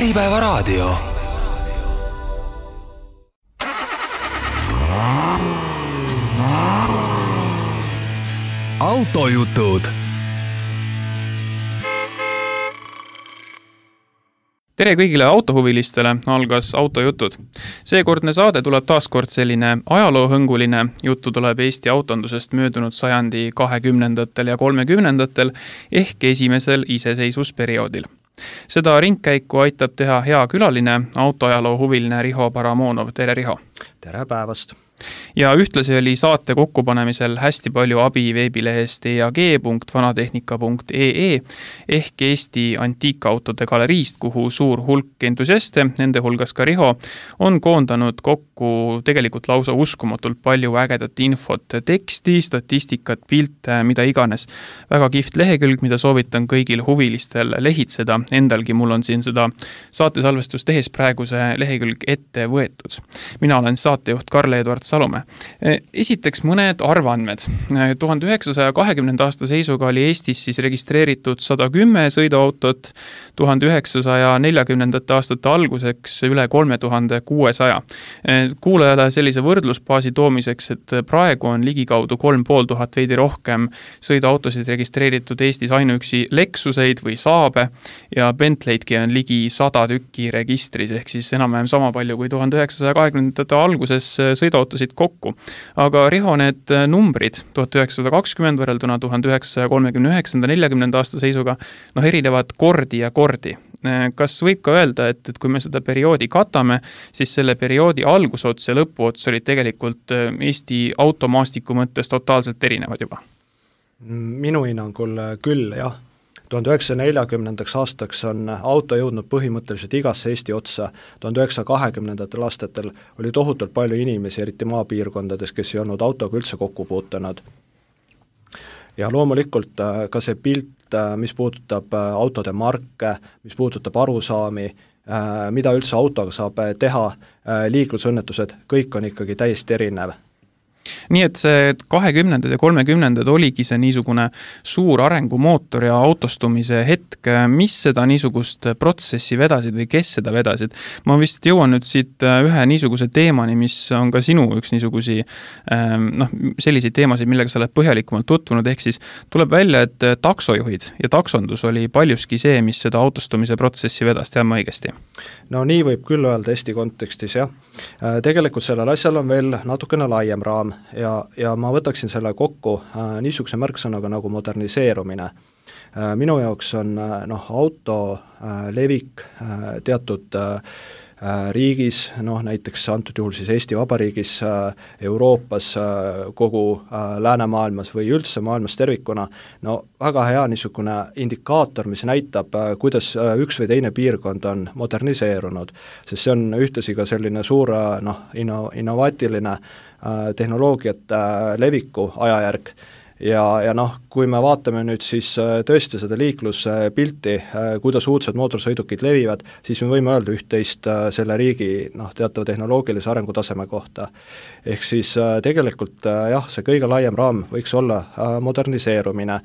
Äripäevaraadio. Autojutud. Tere kõigile autohuvilistele, algas Autojutud. Seekordne saade tuleb taaskord selline ajaloohõnguline. Juttu tuleb Eesti autondusest möödunud sajandi 20. ja 30. ehk esimesel iseseisvusperioodil. Seda ringkäiku aitab teha hea külaline, autoajaloo huviline Riho Paramonov. Tere, Riho! Tere päevast! Ja ühtlasi oli saate kokkupanemisel hästi palju abi veebilehest eag.vanatehnika.ee ehk Eesti antiikautode galeriist, kuhu suur hulk entusiaste, nende hulgas ka Riho, on koondanud kokku tegelikult lausa uskumatult palju ägedat infot, teksti, statistikat, pilte, mida iganes. Väga kihvt lehekülg, mida soovitan kõigil huvilistel lehitseda. Endalgi mul on siin seda saatesalvestust tehes praegu see lehekülg ette võetud. Mina olen saatejuht Karl-Edvard Salome. Esiteks mõned arvandmed. 1920. aasta seisuga oli Eestis siis registreeritud 110 sõiduautot, 1940. aastate alguseks üle 3600. Kuulajale sellise võrdlusbaasi toomiseks, et praegu on ligikaudu 3500 veidi rohkem sõiduautosid registreeritud Eestis ainuüksi Lexuseid või Saabe ja Bentley'dki on ligi 100 tükki registris, ehk siis enam-vähem sama palju kui 1920. alguses sõiduautosid kokku. Aga Riho, need numbrid 1920 võrrelduna 1939-40 aasta seisuga erinevad kordi ja kordi. Kas võib ka öelda, et kui me seda perioodi katame, siis selle perioodi algusots ja lõpuots olid tegelikult Eesti automaastiku mõttes totaalselt erinevad juba? Minu hinnangul küll, jah. 1940. aastaks on auto jõudnud põhimõtteliselt igasse Eesti otsa. 1920. aastatel oli tohutult palju inimesi, eriti maapiirkondades, kes ei olnud autoga üldse kokku puutunud. Ja loomulikult ka see pilt, mis puudutab autode marke, mis puudutab arusaami, mida üldse autoga saab teha, liiklusõnnetused, kõik on ikkagi täiesti erinev. Nii et see 20. ja 30. oligi see niisugune suur arengumootor ja autostumise hetk. Mis seda niisugust protsessi vedasid või kes seda vedasid? Ma vist jõuan nüüd siit ühe niisuguse teemani, mis on ka sinu üks niisugusi selliseid teemasid, millega sa oled põhjalikumalt tutvunud, ehk siis tuleb välja, et taksojuhid ja taksondus oli paljuski see, mis seda autostumise protsessi vedas, tean ma õigesti? No nii võib küll öelda Eesti kontekstis, jah. Tegelikult sellel asjal on veel natukene laiem raam ja ma võtaksin selle kokku niisuguse märksõnaga nagu moderniseerumine. Minu jaoks on auto levik teatud riigis, näiteks antud juhul siis Eesti Vabariigis, Euroopas, kogu läänemaailmas või üldse maailmas tervikuna, väga hea niisugune indikaator, mis näitab, kuidas üks või teine piirkond on moderniseerunud, sest see on ühtlasi ka selline suur innovaatiline tehnoloogiat leviku ajajärg. Ja kui me vaatame nüüd siis tõesti seda liikluspilti, kuidas uudsed mootorsõidukid levivad, siis me võime öelda üht-teist selle riigi teatava tehnoloogilise arengutaseme kohta. Ehk siis tegelikult jah, see kõige laiem raam võiks olla moderniseerumine.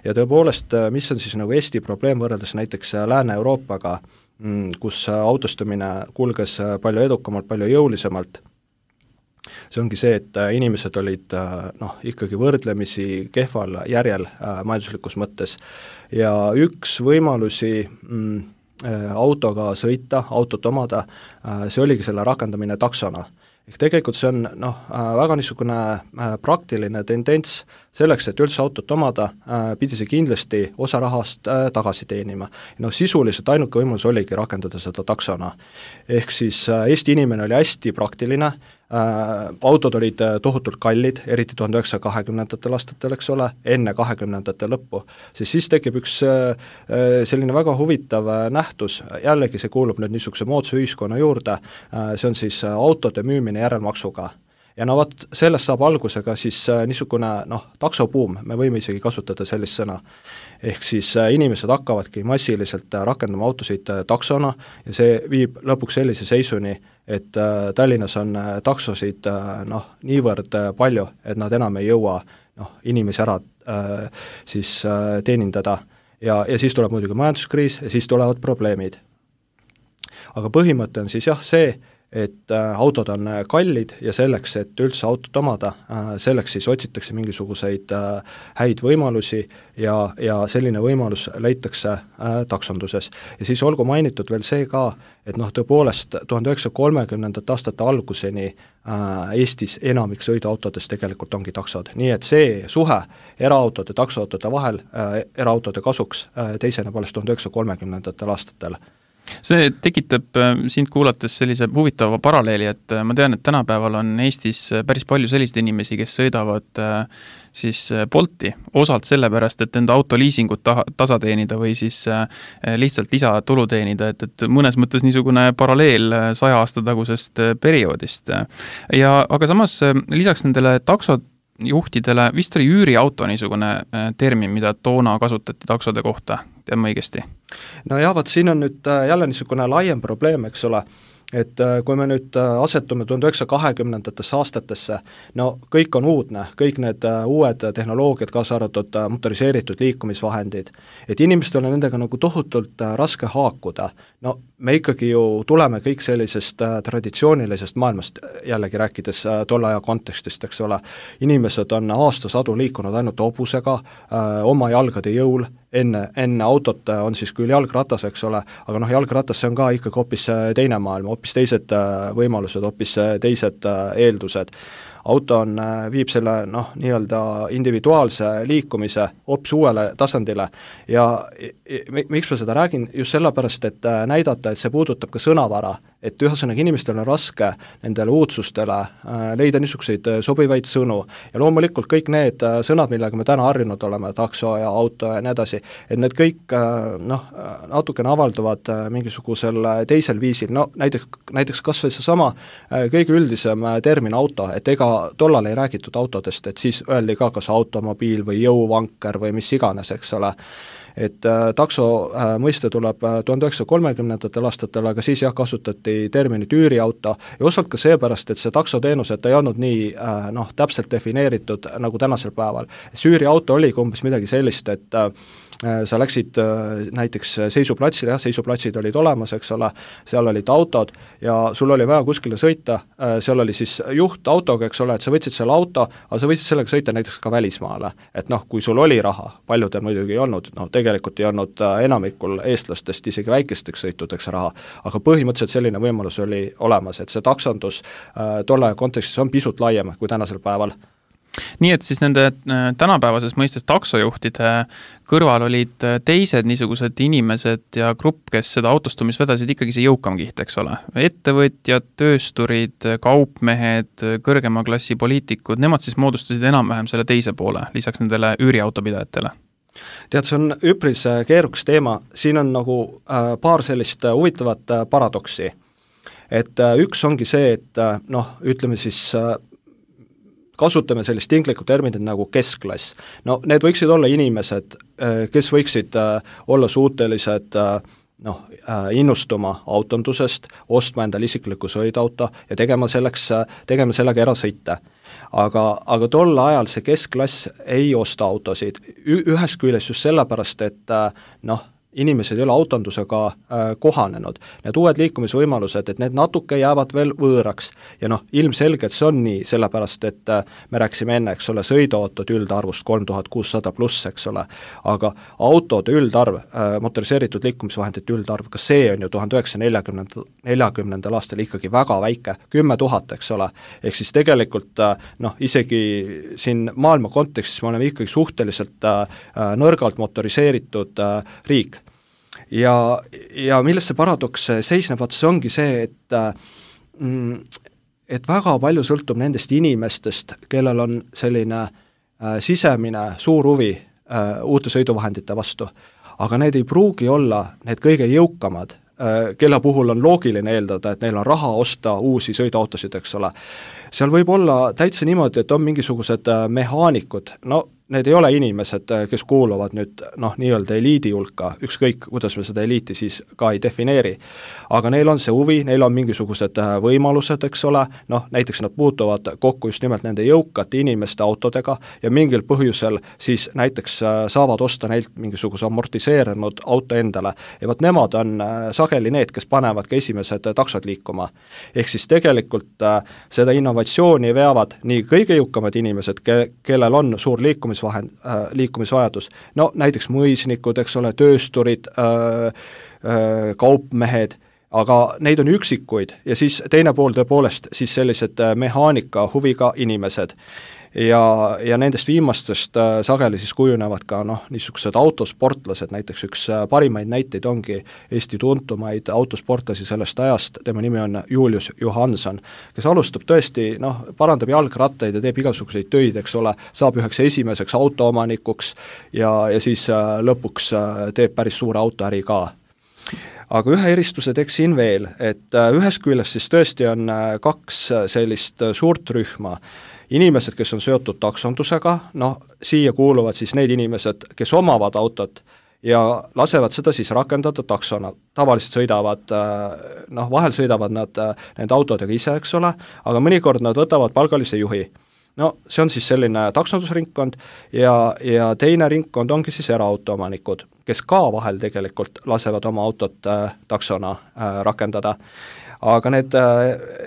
Ja tõepoolest, mis on siis nagu Eesti probleem võrreldes näiteks Lääne-Euroopaga, kus autostumine kulges palju edukamalt, palju jõulisemalt. See ongi see, et inimesed olid ikkagi võrdlemisi kehval järjel majanduslikus mõttes ja üks võimalusi autoga sõita, autot omada, see oligi selle rakendamine taksona. Ehk tegelikult see on väga niisugune praktiline tendents selleks, et üldse autot omada, pidi see kindlasti osa rahast tagasi teenima. Sisuliselt ainuke võimalus oligi rakendada seda taksona. Ehk siis Eesti inimene oli hästi praktiline, autod olid tohutult kallid, eriti 1920. aastatel, eks ole, enne 20. lõppu, siis tekib üks selline väga huvitav nähtus, jällegi see kuulub nüüd niisuguse moodsa ühiskonna juurde, see on siis autode müümine järelmaksuga. Ja sellest saab algusega siis niisugune taksobuum, me võime isegi kasutada sellist sõna. Ehk siis inimesed hakkavadki massiliselt rakendama autosid taksona ja see viib lõpuks sellise seisuni, et Tallinnas on taksosid niivõrd palju, et nad enam ei jõua inimesi ära siis teenindada ja siis tuleb muidugi majanduskriis ja siis tulevad probleemid. aga põhimõte on siis jah see, et autod on kallid ja selleks, et üldse autot omada, selleks siis otsitakse mingisuguseid häid võimalusi ja selline võimalus leitakse taksonduses. Ja siis olgu mainitud veel see ka, et tõepoolest 1930. aastate alguseni Eestis enamik sõiduautodest tegelikult ongi taksod. Nii et see suhe eraautode ja taksoautode vahel eraautode kasuks teiseneb alles 1930. aastatel. See tekitab sind kuulates sellise huvitava paralleeli, et ma tean, et tänapäeval on Eestis päris palju selliseid inimesi, kes sõidavad siis Bolti osalt sellepärast, et enda autoliisingut tasa teenida või siis lihtsalt lisatulu teenida, et mõnes mõttes niisugune paralleel 100 aasta tagusest perioodist. Aga samas lisaks nendele taksojuhtidele vist oli üüriauto niisugune termin, mida toona kasutati taksode kohta, tean ma õigesti? No jah, siin on nüüd jälle niisugune laiem probleem, eks ole, et kui me nüüd asetume 1920. aastatesse, no kõik on uudne, kõik need uued tehnoloogiad, kaasa arvatud motoriseeritud liikumisvahendid, et inimestel on nendega nagu tohutult raske haakuda. No me ikkagi ju tuleme kõik sellisest traditsioonilisest maailmast, jällegi rääkides tolle aja kontekstist, eks ole, inimesed on aastasadu liikunud ainult hobusega, oma jalgade jõul, enne autot on siis küll jalgratas, eks ole, aga jalgratas see on ka ikkagi hoopis teine maailm, hoopis teised võimalused, hoopis teised eeldused. Auto viib selle nii-öelda individuaalse liikumise hoopis uuele tasandile ja miks ma seda räägin, just sellepärast, et näidata, et see puudutab ka sõnavara, et ühesõnaga inimestel on raske nendele uudsustele leida niisuguseid sobivaid sõnu ja loomulikult kõik need sõnad, millega me täna harjunud oleme, takso ja auto ja nii edasi, et need kõik natukene avalduvad mingisugusel teisel viisil, näiteks kas või seesama kõige üldisem termin auto, et ega tollal ei räägitud autodest, et siis öeldi ka kas automobiil või jõuvanker või mis iganes, eks ole. Et takso mõiste tuleb 1930. aastatel, aga siis jah, kasutati terminit üüriauto ja osalt ka seepärast, et see taksoteenused ei olnud nii täpselt defineeritud nagu tänasel päeval. See üüriauto oligi umbes midagi sellist, et sa läksid näiteks seisuplatsile, jah, seisuplatsid olid olemas, eks ole, seal olid autod ja sul oli vaja kuskile sõita, seal oli siis juht autoga, eks ole, et sa võtsid selle auto, aga sa võtsid sellega sõita näiteks ka välismaale, et kui sul oli raha, paljudel muidugi ei olnud, tegelikult ei olnud enamikul eestlastest isegi väikesteks sõitudeks raha, aga põhimõtteliselt selline võimalus oli olemas, et see taksondus tolle kontekstis on pisut laiem kui tänasel päeval. Nii et siis nende tänapäevases mõistes taksojuhtide kõrval olid teised niisugused inimesed ja grupp, kes seda autostumis vedasid ikkagi see jõukam kiht, eks ole. Ettevõtjad, töösturid, kaupmehed, kõrgema klassi poliitikud, nemad siis moodustasid enam-vähem selle teise poole, lisaks nendele üüriautopidajatele. Tead, see on üpris keerukas teema, siin on nagu paar sellist huvitavat paradoksi. Et üks ongi see, et ütleme siis kasutame sellist tinglikku terminit nagu keskklass. Need võiksid olla inimesed, kes võiksid olla suutelised innustuma autondusest, ostma endale isikliku sõidauto ja tegema sellega erasõite. Aga tol ajal see keskklass ei osta autosid. Ühest küljest just sellepärast, et inimesed ei ole autondusega kohanenud. Need uued liikumisvõimalused, et need natuke jäävad veel võõraks ja ilmselgelt see on nii, sellepärast et me rääksime enne, eks ole, sõiduautod üldarvust 3600 pluss, eks ole, aga autode üldarv, motoriseeritud liikumisvahendite üldarv, ka see on ju 1940. aastal ikkagi väga väike, 10 000, eks ole, ehk siis tegelikult isegi siin maailma kontekstis me oleme ikkagi suhteliselt nõrgalt motoriseeritud riik. Ja milles see paradoks seisneb, see ongi see, et väga palju sõltub nendest inimestest, kellel on selline sisemine suur huvi uute sõiduvahendite vastu, aga need ei pruugi olla need kõige jõukamad, kelle puhul on loogiline eeldada, et neil on raha osta uusi sõiduautosid, eks ole. Seal võib olla täitsa niimoodi, et on mingisugused mehaanikud, need ei ole inimesed, kes kuuluvad nüüd nii-öelda eliidi hulka, ükskõik, kuidas me seda eliiti siis ka ei defineeri. Aga neil on see huvi, neil on mingisugused võimalused, eks ole, näiteks nad puutuvad kokku just nimelt nende jõukate inimeste autodega ja mingil põhjusel siis näiteks saavad osta neilt mingisuguse amortiseerunud auto endale. Ja võt nemad on sageli need, kes panevad ka esimesed taksod liikuma. Ehk siis tegelikult seda innovatsiooni veavad nii kõige jõukamad inimesed, kellel on suur liikumisvajadus, näiteks mõisnikud, eks ole, töösturid, kaupmehed, aga neid on üksikuid ja siis teine pool tõepoolest siis sellised mehaanika huviga inimesed. Ja nendest viimastest sageli siis kujunevad ka niisugused autosportlased, näiteks üks parimaid näiteid ongi Eesti tuntumaid autosportlasi sellest ajast, tema nimi on Julius Johanson, kes alustab tõesti, parandab jalgrattaid ja teeb igasuguseid töid, eks ole, saab üheks esimeseks autoomanikuks ja siis lõpuks teeb päris suure autoäri ka. Aga ühe eristuse teeksin veel, et ühest küljest siis tõesti on kaks sellist suurt rühma, inimesed, kes on seotud taksondusega, siia kuuluvad siis need inimesed, kes omavad autot ja lasevad seda siis rakendada taksona. Tavaliselt sõidavad, vahel sõidavad nad nende autodega ise, eks ole, aga mõnikord nad võtavad palgalise juhi. See on siis selline taksondusringkond ja teine ringkond ongi siis eraautoomanikud, kes ka vahel tegelikult lasevad oma autot taksona rakendada. Aga need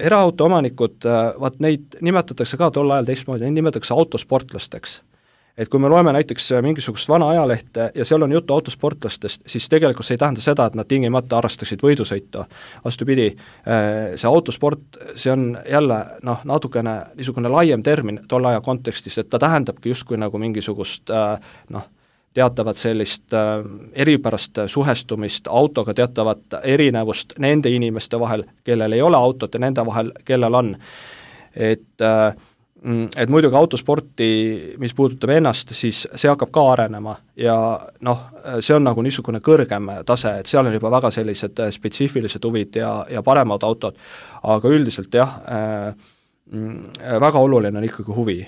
eraautoomanikud, neid nimetatakse ka tol ajal teistmoodi, neid nimetatakse autosportlasteks. Et kui me loeme näiteks mingisugust vana ajalehte ja seal on juttu autosportlastest, siis tegelikult see ei tähenda seda, et nad tingimata harrastaksid võidusõitu. Vastupidi, see autosport, see on jälle natukene niisugune laiem termin tol aja kontekstis, et ta tähendabki justkui nagu mingisugust teatavat sellist eripärast suhestumist autoga, teatavat erinevust nende inimeste vahel, kellel ei ole autot ja nende vahel, kellel on. Et muidugi autosporti, mis puudutab ennast, siis see hakkab ka arenema ja see on nagu niisugune kõrgem tase, et seal on juba väga sellised spetsiifilised huvid ja paremad autod, aga üldiselt jah, väga oluline on ikkagi huvi,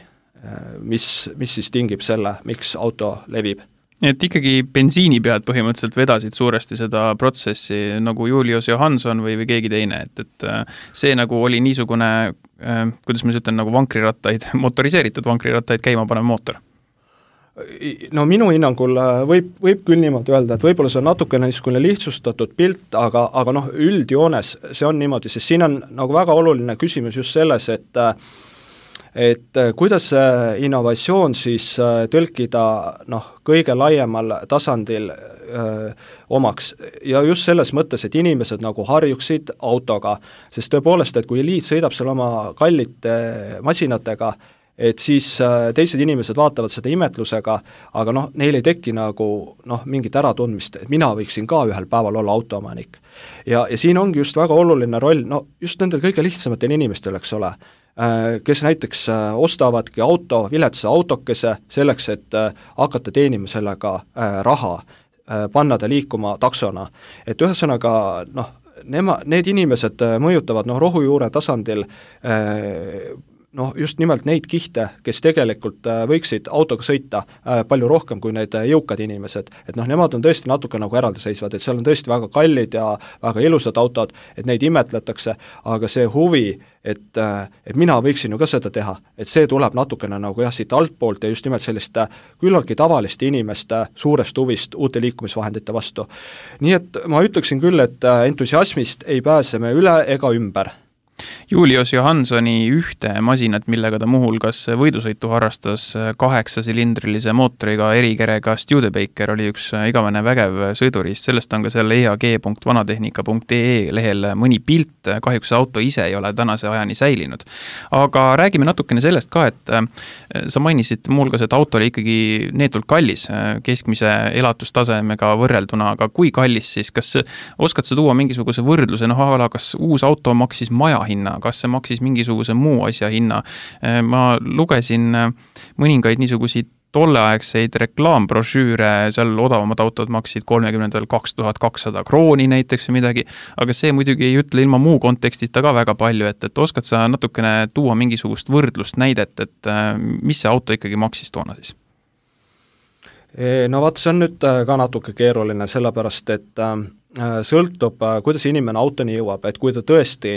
mis siis tingib selle, miks auto levib. Et ikkagi bensiini pead põhimõtteliselt vedasid suuresti seda protsessi nagu Julius Johanson või keegi teine, et see nagu oli niisugune, kuidas ma ütlen, nagu vankrirattaid, motoriseeritud vankrirattaid käima panev mootor. Minu hinnangul võib küll niimoodi öelda, et võib-olla see on natukene niisugune lihtsustatud pilt, aga üldjoones see on niimoodi, sest siin on nagu väga oluline küsimus just selles, et kuidas see innovatsioon siis tõlkida kõige laiemal tasandil omaks ja just selles mõttes, et inimesed nagu harjuksid autoga, sest tõepoolest, et kui eliit sõidab seal oma kallite masinatega, et siis teised inimesed vaatavad seda imetlusega, aga neil ei teki nagu mingit äratundmist, et mina võiksin ka ühel päeval olla autoomanik. Ja siin ongi just väga oluline roll, just nendel kõige lihtsamatel inimestel, eks ole, kes näiteks ostavadki viletsa autokese selleks, et hakata teenima sellega raha, panna ta liikuma taksona. Et ühesõnaga, need inimesed mõjutavad rohujuure tasandil just nimelt neid kihte, kes tegelikult võiksid autoga sõita palju rohkem kui need jõukad inimesed, et nemad on tõesti natuke nagu eraldiseisvad, et seal on tõesti väga kallid ja väga ilusad autod, et neid imetletakse, aga see huvi, et mina võiksin ju ka seda teha, et see tuleb natukene nagu siit altpoolt ja just nimelt selliste küllaltki tavaliste inimeste suurest huvist uute liikumisvahendite vastu. Nii et ma ütleksin küll, et entusiasmist ei pääse me üle ega ümber. Julius Johansoni ühte masinat, millega ta muuhulgas võidusõitu harrastas 8-silindrilise mootoriga erikerega Studebaker, oli üks igavene vägev sõiduriist, sellest on ka seal eag.vanatehnika.ee lehel mõni pilt, kahjuks auto ise ei ole tänase ajani säilinud. Aga räägime natukene sellest ka, et sa mainisid muuhulgas, et auto oli ikkagi neetult kallis, keskmise elatustasemega võrrelduna, aga kui kallis siis, kas oskad sa tuua mingisuguse võrdluse, kas uus auto maksis maja hinna, kas see maksis mingisuguse muu asja hinna. Ma lugesin mõningaid niisuguseid tolleaegseid reklaambrošüüre, seal odavamad autod maksid 2200 krooni näiteks või midagi, aga see muidugi ei ütle ilma muu kontekstita ka väga palju, et oskad sa natukene tuua mingisugust võrdlust näidet, et mis see auto ikkagi maksis toona siis? No vaat, see on nüüd ka natuke keeruline, sellepärast et sõltub, kuidas inimene autoni jõuab, et kui ta tõesti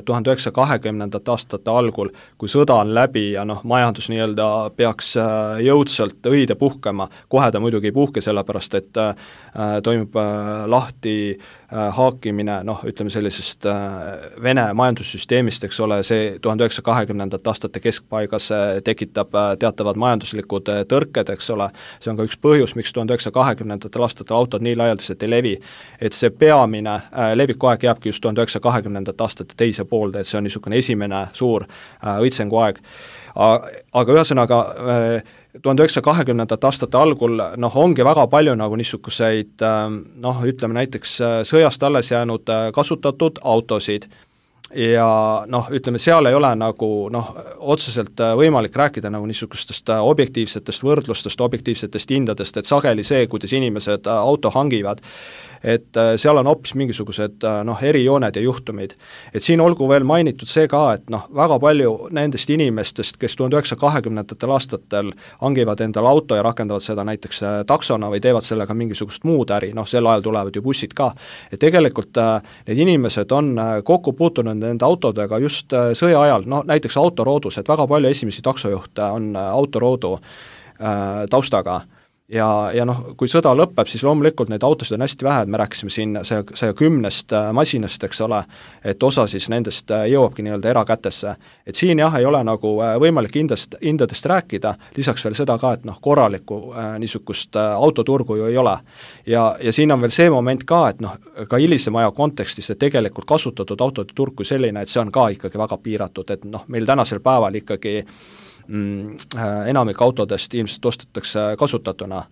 1920. aastate algul, kui sõda on läbi ja majandus nii-öelda peaks jõudsalt õide puhkema, kohe ta muidugi ei puhke, sellepärast et toimub lahti haakimine, ütleme sellisest Vene majandussüsteemist, eks ole, see 1920. aastate keskpaigas tekitab teatavad majanduslikud tõrked, eks ole, see on ka üks põhjus, miks 1920. aastatel autod nii laialdaselt ei levi, et see peamine levikuaeg jääbki just 1920. aastate teise poolde, et see on niisugune esimene suur õitsenguaeg. Aga ühesõnaga 1920. aastate algul ongi väga palju niisuguseid ütleme näiteks sõjast alles jäänud kasutatud autosid ja ütleme, seal ei ole otseselt võimalik rääkida niisugustest objektiivsetest võrdlustest, objektiivsetest hindadest, et sageli see, kuidas inimesed auto hangivad, et seal on hoopis mingisugused erijooned ja juhtumid. Et siin olgu veel mainitud see ka, et väga palju nendest inimestest, kes 1920. aastatel hangivad endale auto ja rakendavad seda näiteks taksona või teevad sellega mingisugust muud äri, sel ajal tulevad ju bussid ka, et tegelikult need inimesed on kokku puutunud nende autodega just sõja ajal, näiteks autoroodus, et väga palju esimesi taksojuhte on autoroodu taustaga. Ja kui sõda lõpeb, siis loomulikult neid autosid on hästi vähe, et me rääkisime siin 110 masinast, eks ole, et osa siis nendest jõuabki nii-öelda erakätesse. Et siin jah, ei ole võimalik hindadest rääkida, lisaks veel seda ka, et korralikku niisugust autoturgu ju ei ole. Ja siin on veel see moment ka, et ka hilisema aja kontekstis, et tegelikult kasutatud autode turg kui selline, et see on ka ikkagi väga piiratud, et meil tänasel päeval ikkagi enamik autodest ilmselt ostetakse kasutatuna.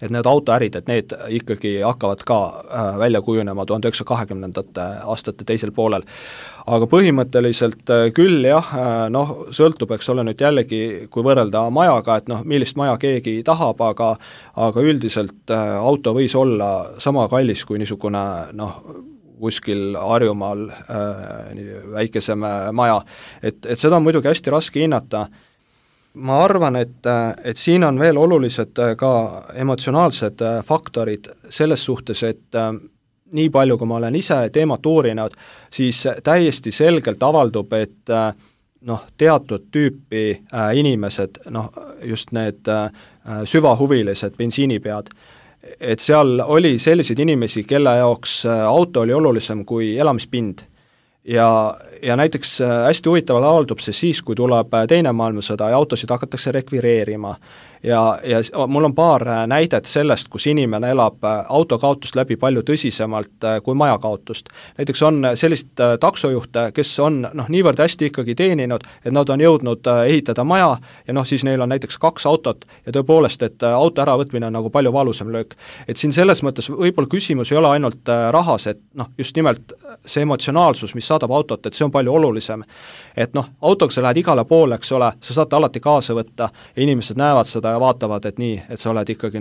Et need autoärid, et need ikkagi hakkavad ka välja kujunema 1920. aastate teisel poolel. Aga põhimõtteliselt küll jah, sõltub, eks ole nüüd jällegi, kui võrrelda majaga, et millist maja keegi tahab, aga üldiselt auto võis olla sama kallis kui niisugune kuskil Harjumaal väikesem maja, et seda on muidugi hästi raske hinnata. Ma arvan, et siin on veel olulised ka emotsionaalsed faktorid selles suhtes, et nii palju, kui ma olen ise teemat uurinud, siis täiesti selgelt avaldub, et teatud tüüpi inimesed, just need süvahuvilised bensiinipead, et seal oli selliseid inimesi, kelle jaoks auto oli olulisem kui elamispind. Ja näiteks hästi huvitavalt avaldub see siis, kui tuleb teine maailmasõda ja autosid hakatakse rekvireerima. Ja mul on paar näidet sellest, kus inimene elab autokaotust läbi palju tõsisemalt kui majakaotust. Näiteks on sellist taksojuhte, kes on niivõrd hästi ikkagi teeninud, et nad on jõudnud ehitada maja ja siis neil on näiteks 2 autot ja tõepoolest, et auto äravõtmine on palju valusam löök. Et siin selles mõttes võib-olla küsimus ei ole ainult rahas, et just nimelt see emotsionaalsus, mis saadab autot, et see on palju olulisem. Et autoga sa lähed igale poole, eks ole, sa saad alati kaasa võtta ja inimesed näevad seda ja vaatavad, et nii, et sa oled ikkagi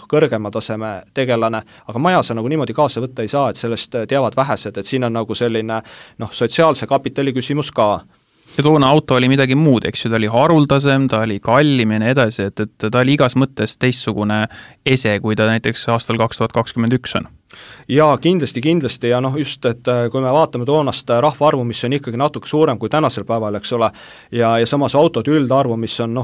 kõrgema taseme tegelane, aga maja sa niimoodi kaasa võtta ei saa, et sellest teavad vähesed, et siin on selline sotsiaalse kapitali küsimus ka. Ja toona auto oli midagi muud, eks ju, ta oli haruldasem, ta oli kallim ja nii edasi, et ta oli igas mõttes teistsugune ese, kui ta näiteks aastal 2021 on. Jaa, kindlasti ja just, et kui me vaatame toonast rahvaarvu, mis on ikkagi natuke suurem kui tänasel päeval, eks ole, ja samas autode üldarvu, mis on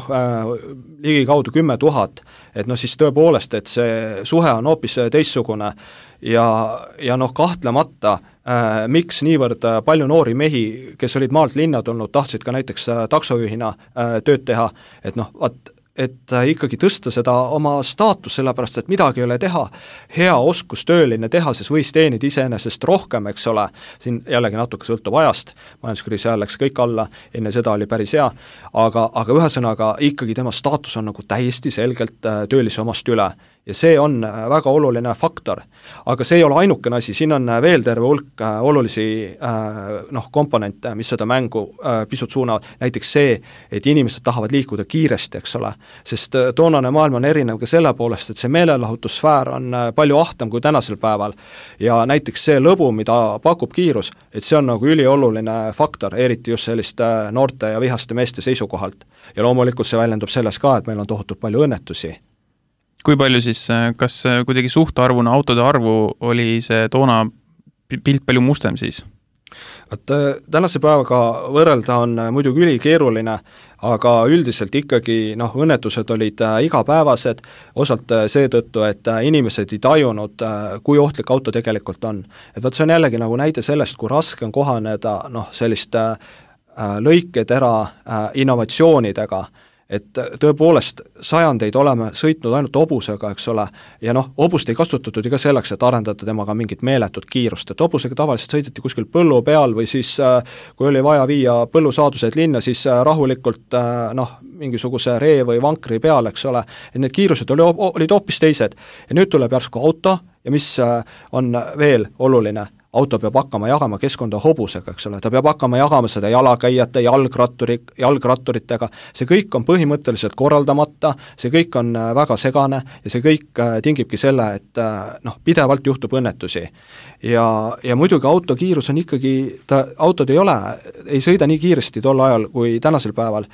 ligikaudu 10 000, et siis tõepoolest, et see suhe on hoopis teistsugune ja kahtlemata miks niivõrd palju noori mehi, kes olid maalt linna tulnud, tahtsid ka näiteks taksojuhina tööd teha, et ikkagi tõsta seda oma staatus, sellepärast, et midagi ei ole teha, hea oskustööline tehases võis teenida iseenesest rohkem, eks ole, siin jällegi natuke sõltub ajast, majanduskriisi ajal läks kõik alla, enne seda oli päris hea, aga ühesõnaga ikkagi tema staatus on täiesti selgelt töölise omast üle. Ja see on väga oluline faktor, aga see ei ole ainukene asi, siin on veel terve hulk olulisi komponente, mis seda mängu pisut suunavad, näiteks see, et inimesed tahavad liikuda kiiresti, eks ole, sest toonane maailm on erinev ka selle poolest, et see meelelahutussfäär on palju ahtam kui tänasel päeval ja näiteks see lõbu, mida pakub kiirus, et see on ülioluline faktor, eriti just selliste noorte ja vihaste meeste seisukohalt ja loomulikult see väljendub selles ka, et meil on tohutult palju õnnetusi. Kui palju siis, kas kuidagi suhtarvuna autode arvu oli see toona pilt palju mustem siis? Tänase päevaga võrrelda on muidugi ülikeeruline, aga üldiselt ikkagi õnnetused olid igapäevased, osalt seetõttu, et inimesed ei tajunud, kui ohtlik auto tegelikult on. Et võt see on jällegi nagu näide sellest, kui raske on kohaneda selliste lõiketera innovatsioonidega, et tõepoolest sajandeid oleme sõitnud ainult hobusega, eks ole, ja hobust ei kasutatud ka selleks, et arendada temaga mingit meeletut kiirust, et hobusega tavaliselt sõideti kuskil põllu peal või siis kui oli vaja viia põllusaadused linna, siis rahulikult mingisuguse ree või vankri peal, eks ole, et need kiirused olid hoopis teised. Ja nüüd tuleb järsku auto ja mis on veel oluline, auto peab hakkama jagama keskkonda hobusega, eks ole, ta peab hakkama jagama seda jalakäijate, jalgratturitega, see kõik on põhimõtteliselt korraldamata, see kõik on väga segane ja see kõik tingibki selle, et pidevalt juhtub õnnetusi. Ja muidugi autokiirus on ikkagi, autod ei sõida nii kiiresti tol ajal kui tänasel päeval,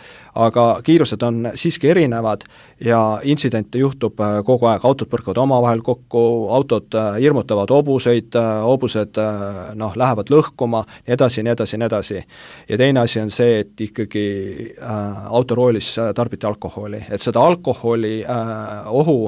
aga kiirused on siiski erinevad ja intsidente juhtub kogu aeg, autod põrkavad omavahel kokku, autod hirmutavad hobuseid, hobused lähevad lõhkuma, nii edasi. Ja teine asi on see, et ikkagi autoroolis tarbiti alkoholi, et seda alkoholi ohu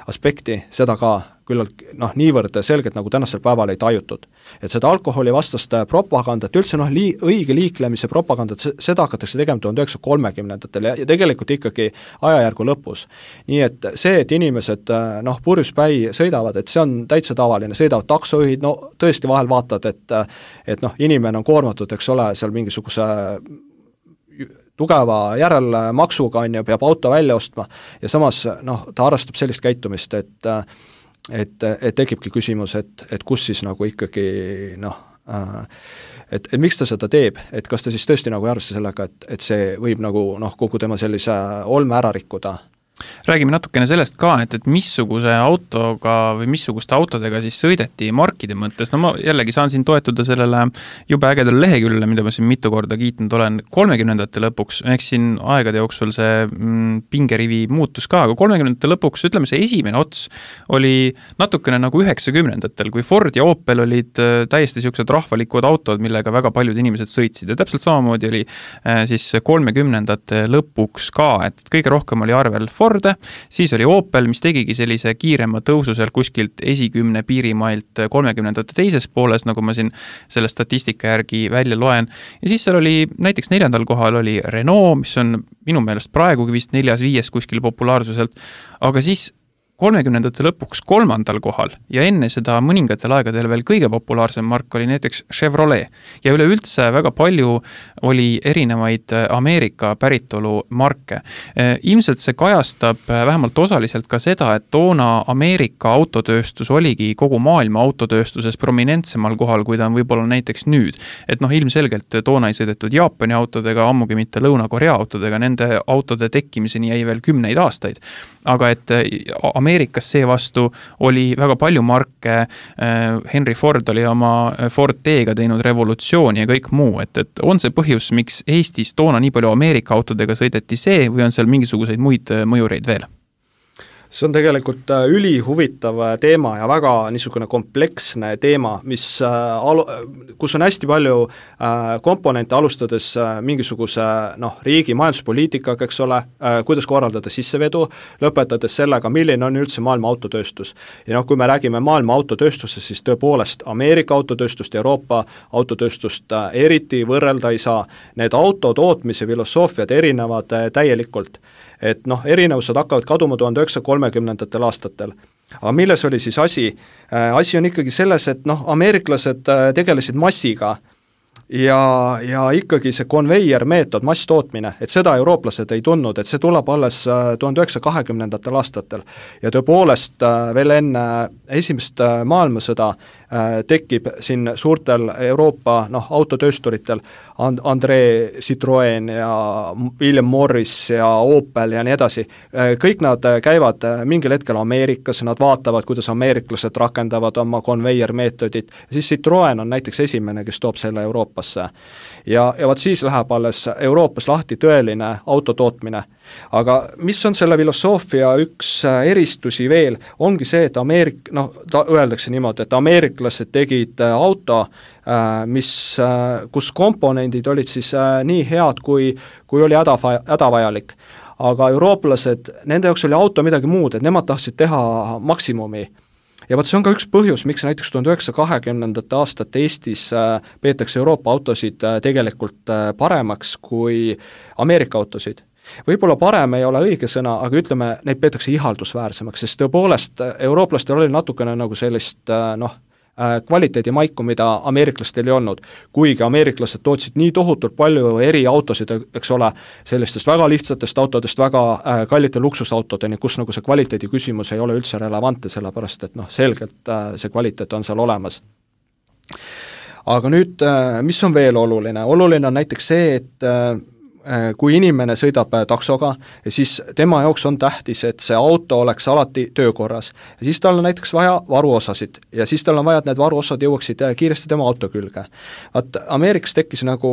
aspekti, seda ka küllalt niivõrd selgelt nagu tänasel päeval ei tajutud. Et seda alkoholi vastast propagandat, üldse õige liiklemise propagandat, seda hakatakse tegema 1930-ndatel ja tegelikult ikkagi ajajärgu lõpus. Nii et see, et inimesed purjuspäi sõidavad, et see on täitsa tavaline, sõidavad taksojuhid, tõesti vahel vaatad, et inimene on koormatud, eks ole, seal mingisuguse tugeva järelmaksuga peab auto välja ostma ja samas ta harrastab sellist käitumist, et tekibki küsimus, et kus siis nagu ikkagi et miks ta seda teeb, et kas ta siis tõesti nagu ei arvesta sellega, et see võib nagu kogu tema sellise olme ära rikkuda. Räägime natukene sellest ka, et missuguse autoga või missuguste autodega siis sõideti markide mõttes. Ma jällegi saan siin toetuda sellele jube ägedale leheküljele, mida ma siin mitu korda kiitnud olen 30-ndate lõpuks, ehk siin aegade jooksul see pingerivi muutus ka, aga 30-ndate lõpuks, ütleme see esimene ots oli natukene nagu 90-ndatel, kui Ford ja Opel olid täiesti siuksed rahvalikud autod, millega väga paljud inimesed sõitsid ja täpselt samamoodi oli siis 30-ndate lõpuks ka, et kõige rohkem oli arvel Forde, siis oli Opel, mis tegigi sellise kiirema tõusu seal kuskilt 10 piirimailt 30-ndate teises pooles, nagu ma siin selle statistika järgi välja loen. Ja siis seal oli näiteks 4. kohal oli Renault, mis on minu meelest praegugi vist 4-5 kuskil populaarsuselt, aga siis 30-ndate lõpuks 3. kohal ja enne seda mõningatel aegadel veel kõige populaarsem mark oli näiteks Chevrolet. Ja üleüldse väga palju oli erinevaid Ameerika päritolu marke. Ilmselt see kajastab vähemalt osaliselt ka seda, et toona Ameerika autotööstus oligi kogu maailma autotööstuses prominentsemal kohal, kui ta on võib-olla näiteks nüüd. Et ilmselgelt toona ei sõidetud Jaapani autodega, ammugi mitte Lõuna-Korea autodega, nende autode tekkimiseni jäi veel 10 aastaid. Aga et Ameerikas seevastu oli väga palju marke, Henry Ford oli oma Ford T-ga teinud revolutsiooni ja kõik muu, et on see põhjus, miks Eestis toona nii palju Ameerika autodega sõideti see või on seal mingisuguseid muid mõjureid veel? See on tegelikult ülihuvitav teema ja väga niisugune kompleksne teema, kus on hästi palju komponente alustades mingisuguse riigi majanduspoliitikaga, eks ole, kuidas korraldada sissevedu, lõpetades sellega, milline on üldse maailma autotööstus. Ja kui me räägime maailma autotööstusest, siis tõepoolest Ameerika autotööstust ja Euroopa autotööstust eriti võrrelda ei saa. Need autotootmise filosoofiad erinevad täielikult. Et erinevused hakkavad kaduma 1930-ndatel aastatel. Aga milles oli siis asi? Asi on ikkagi selles, et ameeriklased tegelesid massiga ja ikkagi see konveier meetod, masstootmine, et seda eurooplased ei tundnud, et see tuleb alles 1920-ndatel aastatel. Ja tõepoolest veel enne esimest maailmasõda tekib siin suurtel Euroopa autotöösturitel André Citroën ja William Morris ja Opel ja nii edasi. Kõik nad käivad mingil hetkel Ameerikas, nad vaatavad, kuidas ameeriklased rakendavad oma konveier meetodit. Siis Citroën on näiteks esimene, kes toob selle Euroopa. Euroopasse. Ja vot siis läheb alles Euroopas lahti tõeline autotootmine. Aga mis on selle filosoofia üks eristusi veel, ongi see, et öeldakse niimoodi, et ameeriklased tegid auto, kus komponendid olid siis nii head, kui oli hädavajalik. Aga eurooplased, nende jaoks oli auto midagi muud, et nemad tahtsid teha maksimumi. Ja vot see on ka üks põhjus, miks näiteks 1920. aastate Eestis peetakse Euroopa autosid tegelikult paremaks kui Ameerika autosid. Võib-olla parem ei ole õige sõna, aga ütleme, neid peetakse ihaldusväärsemaks, sest tõepoolest eurooplastel oli natukene nagu sellist kvaliteedimaiku, mida ameeriklastel ei olnud. Kuigi ameeriklased tootsid nii tohutult palju eri autosid, eks ole, sellistest väga lihtsatest autodest väga kallite luksusautodeni, kus nagu see kvaliteedi küsimus ei ole üldse relevantne, sellepärast et selgelt see kvaliteet on seal olemas. Aga nüüd, mis on veel oluline? Oluline on näiteks see, et kui inimene sõidab taksoga, siis tema jaoks on tähtis, et see auto oleks alati töökorras. Ja siis tal on näiteks vaja varuosasid ja siis tal on vaja, et need varuosad jõuaksid kiiresti tema auto külge. Ameerikas tekkis nagu,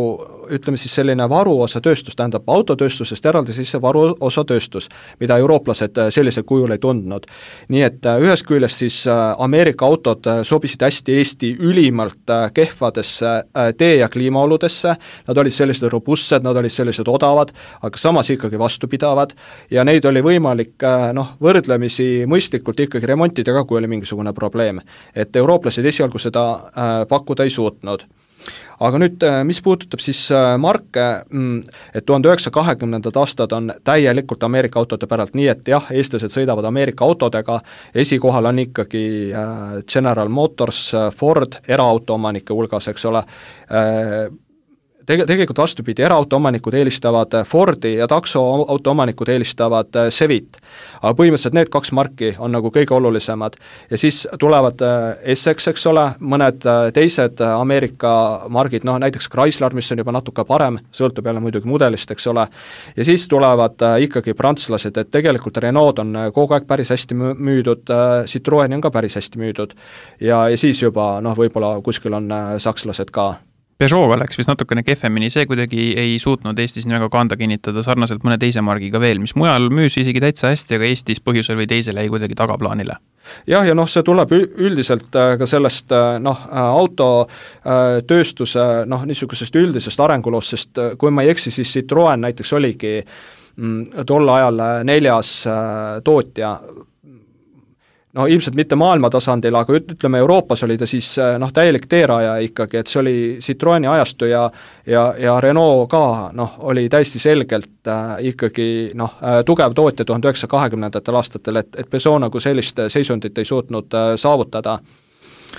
ütleme siis selline varuosatööstus, tähendab autotööstusest eraldi siis see varuosatööstus, mida eurooplased sellisel kujul ei tundnud. Nii et ühest küljest siis Ameerika autod sobisid hästi Eesti ülimalt kehvadesse tee- ja kliimaoludesse, nad olid sellised robustsed, nad olid sellised odavad, aga samas ikkagi vastupidavad ja neid oli võimalik võrdlemisi mõistlikult ikkagi remontida ka, kui oli mingisugune probleem. Et eurooplased esialgu seda pakkuda ei suutnud. Aga nüüd, mis puudutab siis marke, et 1920. aastad on täielikult Ameerika autode päralt, nii et jah, eestlased sõidavad Ameerika autodega, esikohal on ikkagi General Motors, Ford, eraauto-omanike hulgas, eks ole, tegelikult vastupidi, eraautoomanikud eelistavad Fordi ja taksoautoomanikud eelistavad Chevit. Aga põhimõtteliselt need kaks marki on nagu kõige olulisemad. Ja siis tulevad Essex, eks ole, mõned teised Ameerika margid, näiteks Chrysler, mis on juba natuke parem, sõltub jälle muidugi mudelist, eks ole. Ja siis tulevad ikkagi prantslased, et tegelikult Renault on kogu aeg päris hästi müüdud, Citroën on ka päris hästi müüdud. Ja siis juba, võib-olla kuskil on sakslased ka. Peugeot'ga läks vist natukene kehvemini, see kuidagi ei suutnud Eestis nii väga kanda kinnitada sarnaselt mõne teise margiga veel, mis mujal müüs isegi täitsa hästi, aga Eestis põhjusel või teisel jäi kuidagi tagaplaanile. Jah, ja see tuleb üldiselt ka sellest autotööstuse niisugusest üldisest arenguloost, sest kui ma ei eksi, siis Citroën näiteks oligi tol ajal 4. tootja, ilmselt mitte maailma tasandil, aga ütleme Euroopas oli ta siis täielik teeraja ikkagi, et see oli Citroëni ajastu ja Renault ka oli täiesti selgelt ikkagi tugev tootja 1920. aastatel, et Peugeot nagu sellist seisundit ei suutnud saavutada.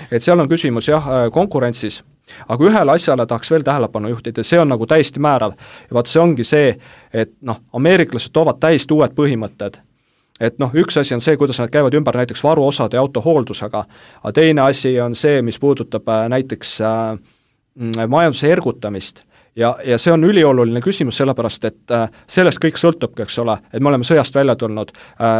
Et seal on küsimus konkurentsis, aga ühele asjale tahaks veel tähelepanu juhtida, see on nagu täiesti määrav ja vaat see ongi see, et ameeriklased toovad täiesti uued põhimõtted. Et üks asi on see, kuidas nad käivad ümber näiteks varuosade ja autohooldusega, aga teine asi on see, mis puudutab näiteks majanduse ergutamist. Ja see on ülioluline küsimus, sellepärast, et sellest kõik sõltubki, eks ole, et me oleme sõjast välja tulnud,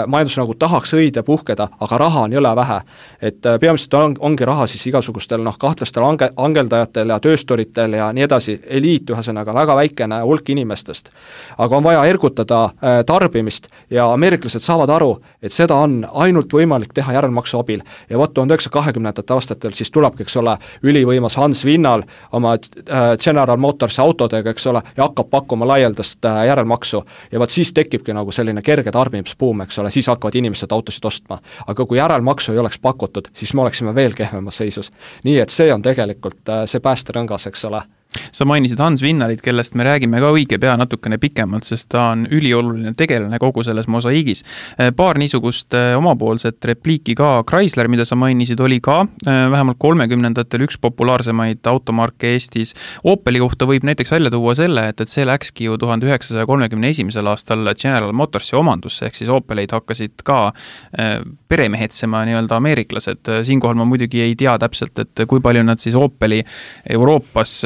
majandus nagu tahaks õide puhkeda, aga raha on jõle vähe. Et peamiselt ongi raha siis igasugustel kahtlastel angeldajatel ja tööstoritel ja nii edasi, eliit ühesõnaga väga väikene hulk inimestest. Aga on vaja ergutada tarbimist ja ameeriklased saavad aru, et seda on ainult võimalik teha järelmaksu abil. Ja 1920. aastatel siis tulebki, eks ole, ülivõimas Hans Winnal oma General Motors autodega, eks ole, ja hakkab pakkuma laialdast järelmaksu. Ja vaat siis tekibki nagu selline kerge tarbimisbuum, eks ole, siis hakkavad inimesed autosid ostma. Aga kui järelmaksu ei oleks pakutud, siis me oleksime veel kehvemas seisus. Nii et see on tegelikult see päästerõngas, eks ole. Sa mainisid Hans Winnalit, kellest me räägime ka õige pea natukene pikemalt, sest ta on ülioluline tegelane kogu selles mosaiigis. Paar niisugust omapoolset repliiki ka. Chrysler, mida sa mainisid, oli ka vähemalt 30-ndatel üks populaarsemaid automarke Eestis. Opeli kohta võib näiteks välja tuua selle, et see läkski ju 1931. aastal General Motorsi omandusse, ehk siis Opeleid hakkasid ka peremehetsema nii-öelda ameeriklased. Siinkohal ma muidugi ei tea täpselt, et kui palju nad siis Opeli Euroopas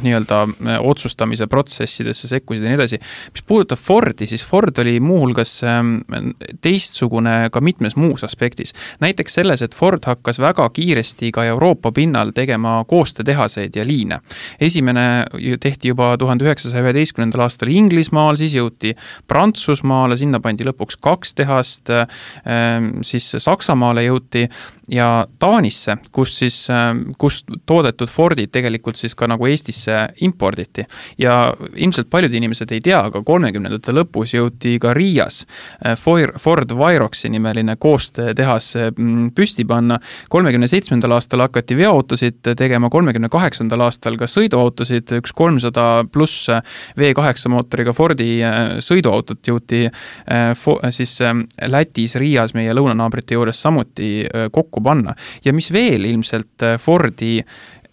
nii-öelda otsustamise protsessidesse sekkusid ja nii edasi. Mis puudutab Fordi, siis Ford oli muuhulgas teistsugune ka mitmes muus aspektis. Näiteks selles, et Ford hakkas väga kiiresti ka Euroopa pinnal tegema koostöötehaseid ja liine. Esimene tehti juba 1911. aastal Inglismaal, siis jõuti Prantsusmaale, sinna pandi lõpuks 2 tehast, siis Saksamaale jõuti ja Taanisse, kus toodetud Fordid tegelikult siis ka nagu Eestisse imporditi. Ja ilmselt paljud inimesed ei tea, aga 30ndate lõpus jõuti ka Riias Ford Viroxi nimeline koostöötehas püsti panna. 37. aastal hakati veoautosid tegema, 38. aastal ka sõiduautosid, üks 300 pluss V8 mootoriga Fordi sõiduautot jõuti siis Lätis, Riias meie lõunanaabrite juures samuti kokku panna. Ja mis veel ilmselt Fordi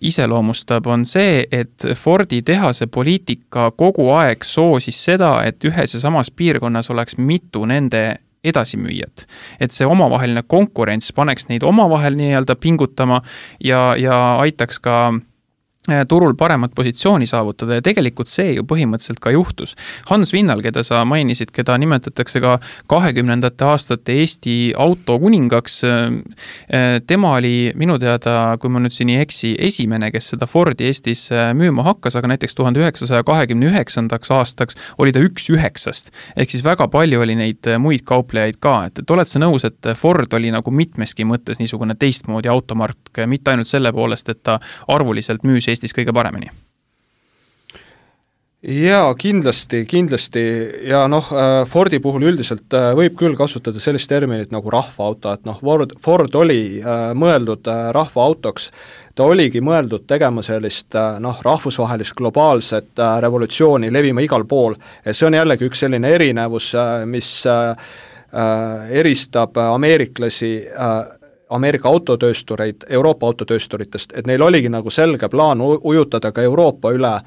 iseloomustab, on see, et Fordi tehase poliitika kogu aeg soosis seda, et ühes ja samas piirkonnas oleks mitu nende edasimüüjat. Et see omavaheline konkurents paneks neid omavahel nii-öelda pingutama ja aitaks ka turul paremat positsiooni saavutada ja tegelikult see ju põhimõtteliselt ka juhtus. Hans Vinnal, keda sa mainisid, keda nimetatakse ka 20. aastate Eesti autokuningaks, tema oli minu teada, kui ma nüüd siin ei eksi, esimene, kes seda Fordi Eestis müüma hakkas, aga näiteks 1929. aastaks oli ta 1/9. Ehk siis väga palju oli neid muid kauplejaid ka, et oled sa nõus, et Ford oli nagu mitmeski mõttes niisugune teistmoodi automark, mitte ainult selle poolest, et ta arvuliselt müüs Eestis kõige paremini? Jaa, kindlasti ja Fordi puhul üldiselt võib küll kasutada sellist terminit nagu rahvaauto, et Ford oli mõeldud rahvaautoks, ta oligi mõeldud tegema sellist rahvusvahelist globaalset revolutsiooni levima igal pool, ja see on jällegi üks selline erinevus, mis eristab ameeriklasi Ameerika autotööstureid Euroopa autotöösturitest, et neil oligi nagu selge plaan ujutada ka Euroopa üle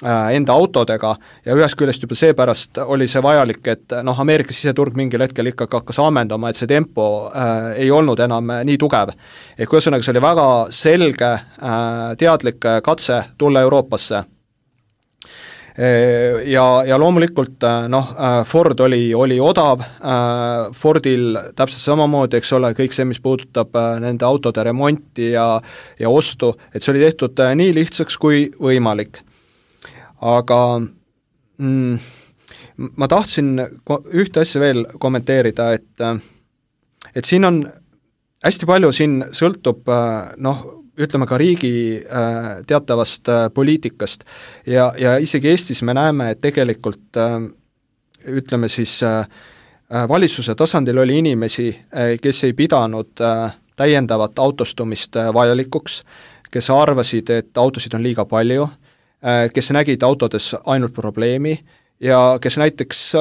enda autodega ja ühest küljest juba seepärast oli see vajalik, et Ameerika siseturg mingil hetkel ikkagi hakkas ammendama, et see tempo ei olnud enam nii tugev. Ehk ühesõnaga see oli väga selge teadlik katse tulla Euroopasse. Ja loomulikult Ford oli odav, Fordil täpselt samamoodi, eks ole, kõik see, mis puudutab nende autode remonti ja ostu, et see oli tehtud nii lihtsaks kui võimalik. Aga ma tahtsin ühte asja veel kommenteerida, et siin on hästi palju, siin sõltub ütleme ka riigi teatavast poliitikast ja isegi Eestis me näeme, et tegelikult ütleme siis valitsuse tasandil oli inimesi, kes ei pidanud täiendavat autostumist vajalikuks, kes arvasid, et autosid on liiga palju, kes nägid autodes ainult probleemi ja kes näiteks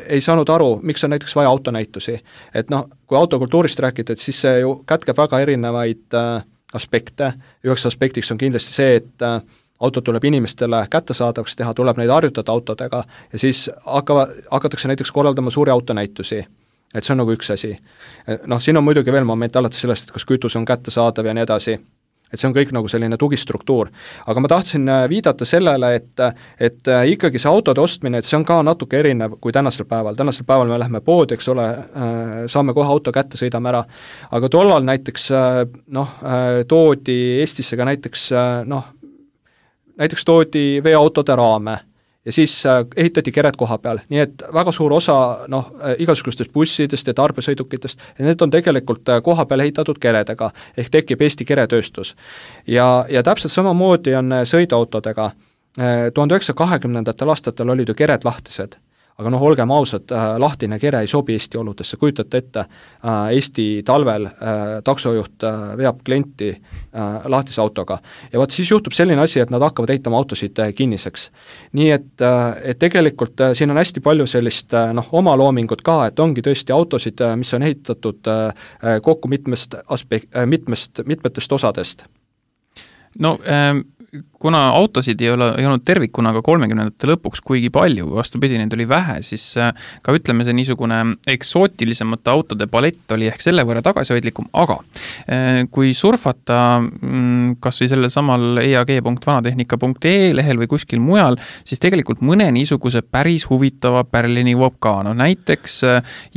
ei saanud aru, miks on näiteks vaja autonäitusi. Et kui autokultuurist rääkida, et siis see ju kätkeb väga erinevaid aspekte. Üheks aspektiks on kindlasti see, et auto tuleb inimestele kättesaadavaks teha, tuleb neid harjutada autodega ja siis hakatakse näiteks korraldama suuri autonäitusi. Et see on nagu üks asi. Siin on muidugi veel moment alates sellest, et kas kütus on kättesaadav ja nii edasi. Et see on kõik nagu selline tugistruktuur. Aga ma tahtsin viidata sellele, et ikkagi see autode ostmine, et see on ka natuke erinev kui tänasel päeval. Tänasel päeval me läheme poodi, eks ole, saame kohe auto kätte, sõidame ära. Aga tollal näiteks toodi Eestisse ka näiteks toodi veoautode raame ja siis ehitati kered koha peal, nii et väga suur osa igasugustest bussidest ja tarbesõidukitest, ja need on tegelikult koha peal ehitatud keredega, ehk tekib Eesti keretööstus. Ja täpselt samamoodi on sõiduautodega. 1920. aastatel olid ju kered lahtised, aga olgem ausad, lahtine kere ei sobi Eesti oludesse, kujutate ette, Eesti talvel taksojuht veab klienti lahtise autoga. Ja siis juhtub selline asi, et nad hakkavad ehitama autosid kinniseks. Nii et tegelikult siin on hästi palju sellist omaloomingut ka, et ongi tõesti autosid, mis on ehitatud kokku mitmetest osadest. kuna autosid ei olnud tervikuna ka 30ndate lõpuks kuigi palju, vastupidi, neid oli vähe, siis ka ütleme, see niisugune eksootilisemate autode palett oli ehk selle võrra tagasihoidlikum, aga kui surfata kas või sellel samal eag.vanatehnika.ee lehel või kuskil mujal, siis tegelikult mõne niisuguse päris huvitava pärlini jõuab ka. No, näiteks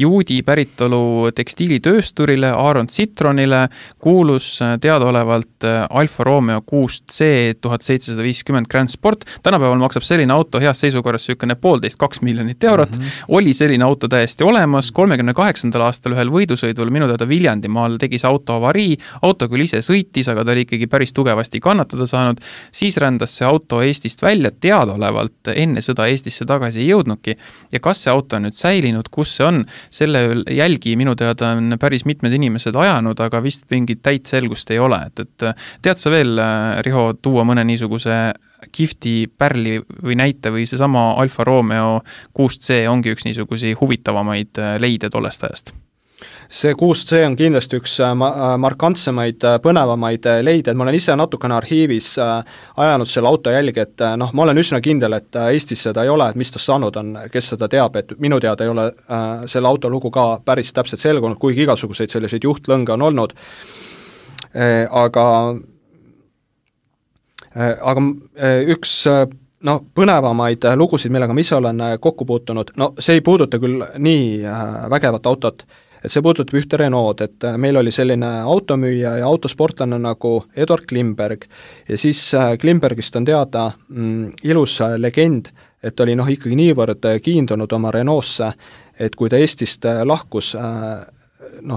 juudi päritolu tekstiilitöösturile Aaron Citronile kuulus teadaolevalt Alfa Romeo 6C 1750 Grand Sport. Tänapäeval maksab selline auto heas seisukorras sükene 1,5–2 miljonit eurot. Oli selline auto täiesti olemas. 38. aastal ühel võidusõidul minu teada Viljandimaal tegi see auto avarii. Auto küll ise sõitis, aga ta oli ikkagi päris tugevasti kannatada saanud. Siis rändas see auto Eestist välja teadaolevalt. Enne sõda Eestisse tagasi ei jõudnudki. Ja kas see auto on nüüd säilinud, kus see on? Selle jälgi minu teada on päris mitmed inimesed ajanud, aga vist mingit täit selgust ei ole. Et tead sa veel, Riho, tuua mõne niisuguse kihvti pärli või näite või see sama Alfa Romeo 6C ongi üks niisugusi huvitavamaid leide tollest ajast? See 6C on kindlasti üks markantsemaid, põnevamaid leide, ma olen ise natukene arhiivis ajanud selle auto jälgi, et ma olen üsna kindel, et Eestis seda ei ole, et mis ta saanud on, kes seda teab, et minu teada ei ole selle auto lugu ka päris täpselt selgunud, kuigi igasuguseid selliseid juhtlõnge on olnud, aga üks põnevamaid lugusid, millega ma ise olen kokku puutunud, see ei puuduta küll nii vägevat autot, et see puudutab ühte Renault, et meil oli selline automüüja ja autosportlane nagu Eduard Klimberg ja siis Klimbergist on teada ilus legend, et oli ikkagi niivõrd kiindunud oma Renault'sse, et kui ta Eestist lahkus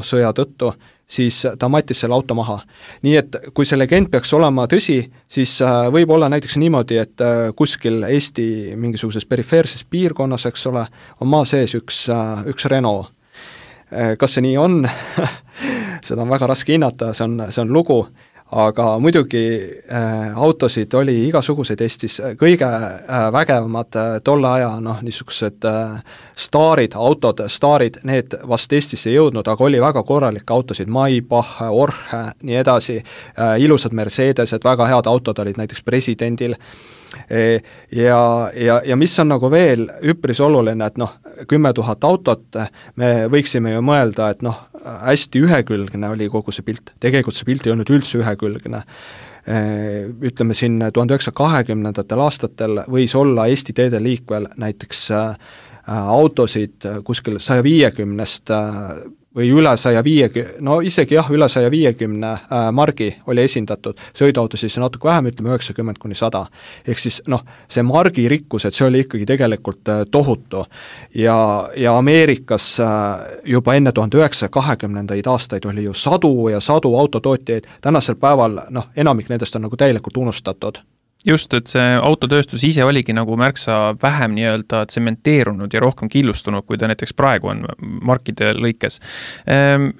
sõja tõttu, siis ta mattis selle auto maha. Nii et kui see legend peaks olema tõsi, siis võib olla näiteks niimoodi, et kuskil Eesti mingisuguses perifeerses piirkonnas, eks ole, on maa sees üks Renault. Kas see nii on? Seda on väga raske hinnata, see on lugu, aga muidugi autosid oli igasuguseid Eestis, kõige vägevamad tolle aja niisugused staarid, need vast Eestisse ei jõudnud, aga oli väga korralikke autosid, Maybach, Orhe, nii edasi, ilusad Mercedesed, väga head autod olid näiteks presidendil, ja mis on veel üpris oluline, et 10 000 autot, me võiksime ju mõelda, et hästi ühekülgne oli kogu see pilt, tegelikult see pilt ei olnud üldse ühekülgne. Ütleme siin 1920. aastatel võis olla Eesti teede liikvel näiteks autosid kuskil 150 või üle 150, isegi üle 150 margi oli esindatud, sõiduauto siis natuke vähem, ütleme 90–100. Ehk siis see margi rikkus, et see oli ikkagi tegelikult tohutu. Ja Ameerikas juba enne 1920. aastaid oli ju sadu ja sadu autotootjaid, tänasel päeval enamik nendest on täielikult unustatud. Just, et see autotööstus ise oligi märksa vähem nii-öelda tsementeerunud ja rohkem killustunud, kui ta näiteks praegu on markide lõikes.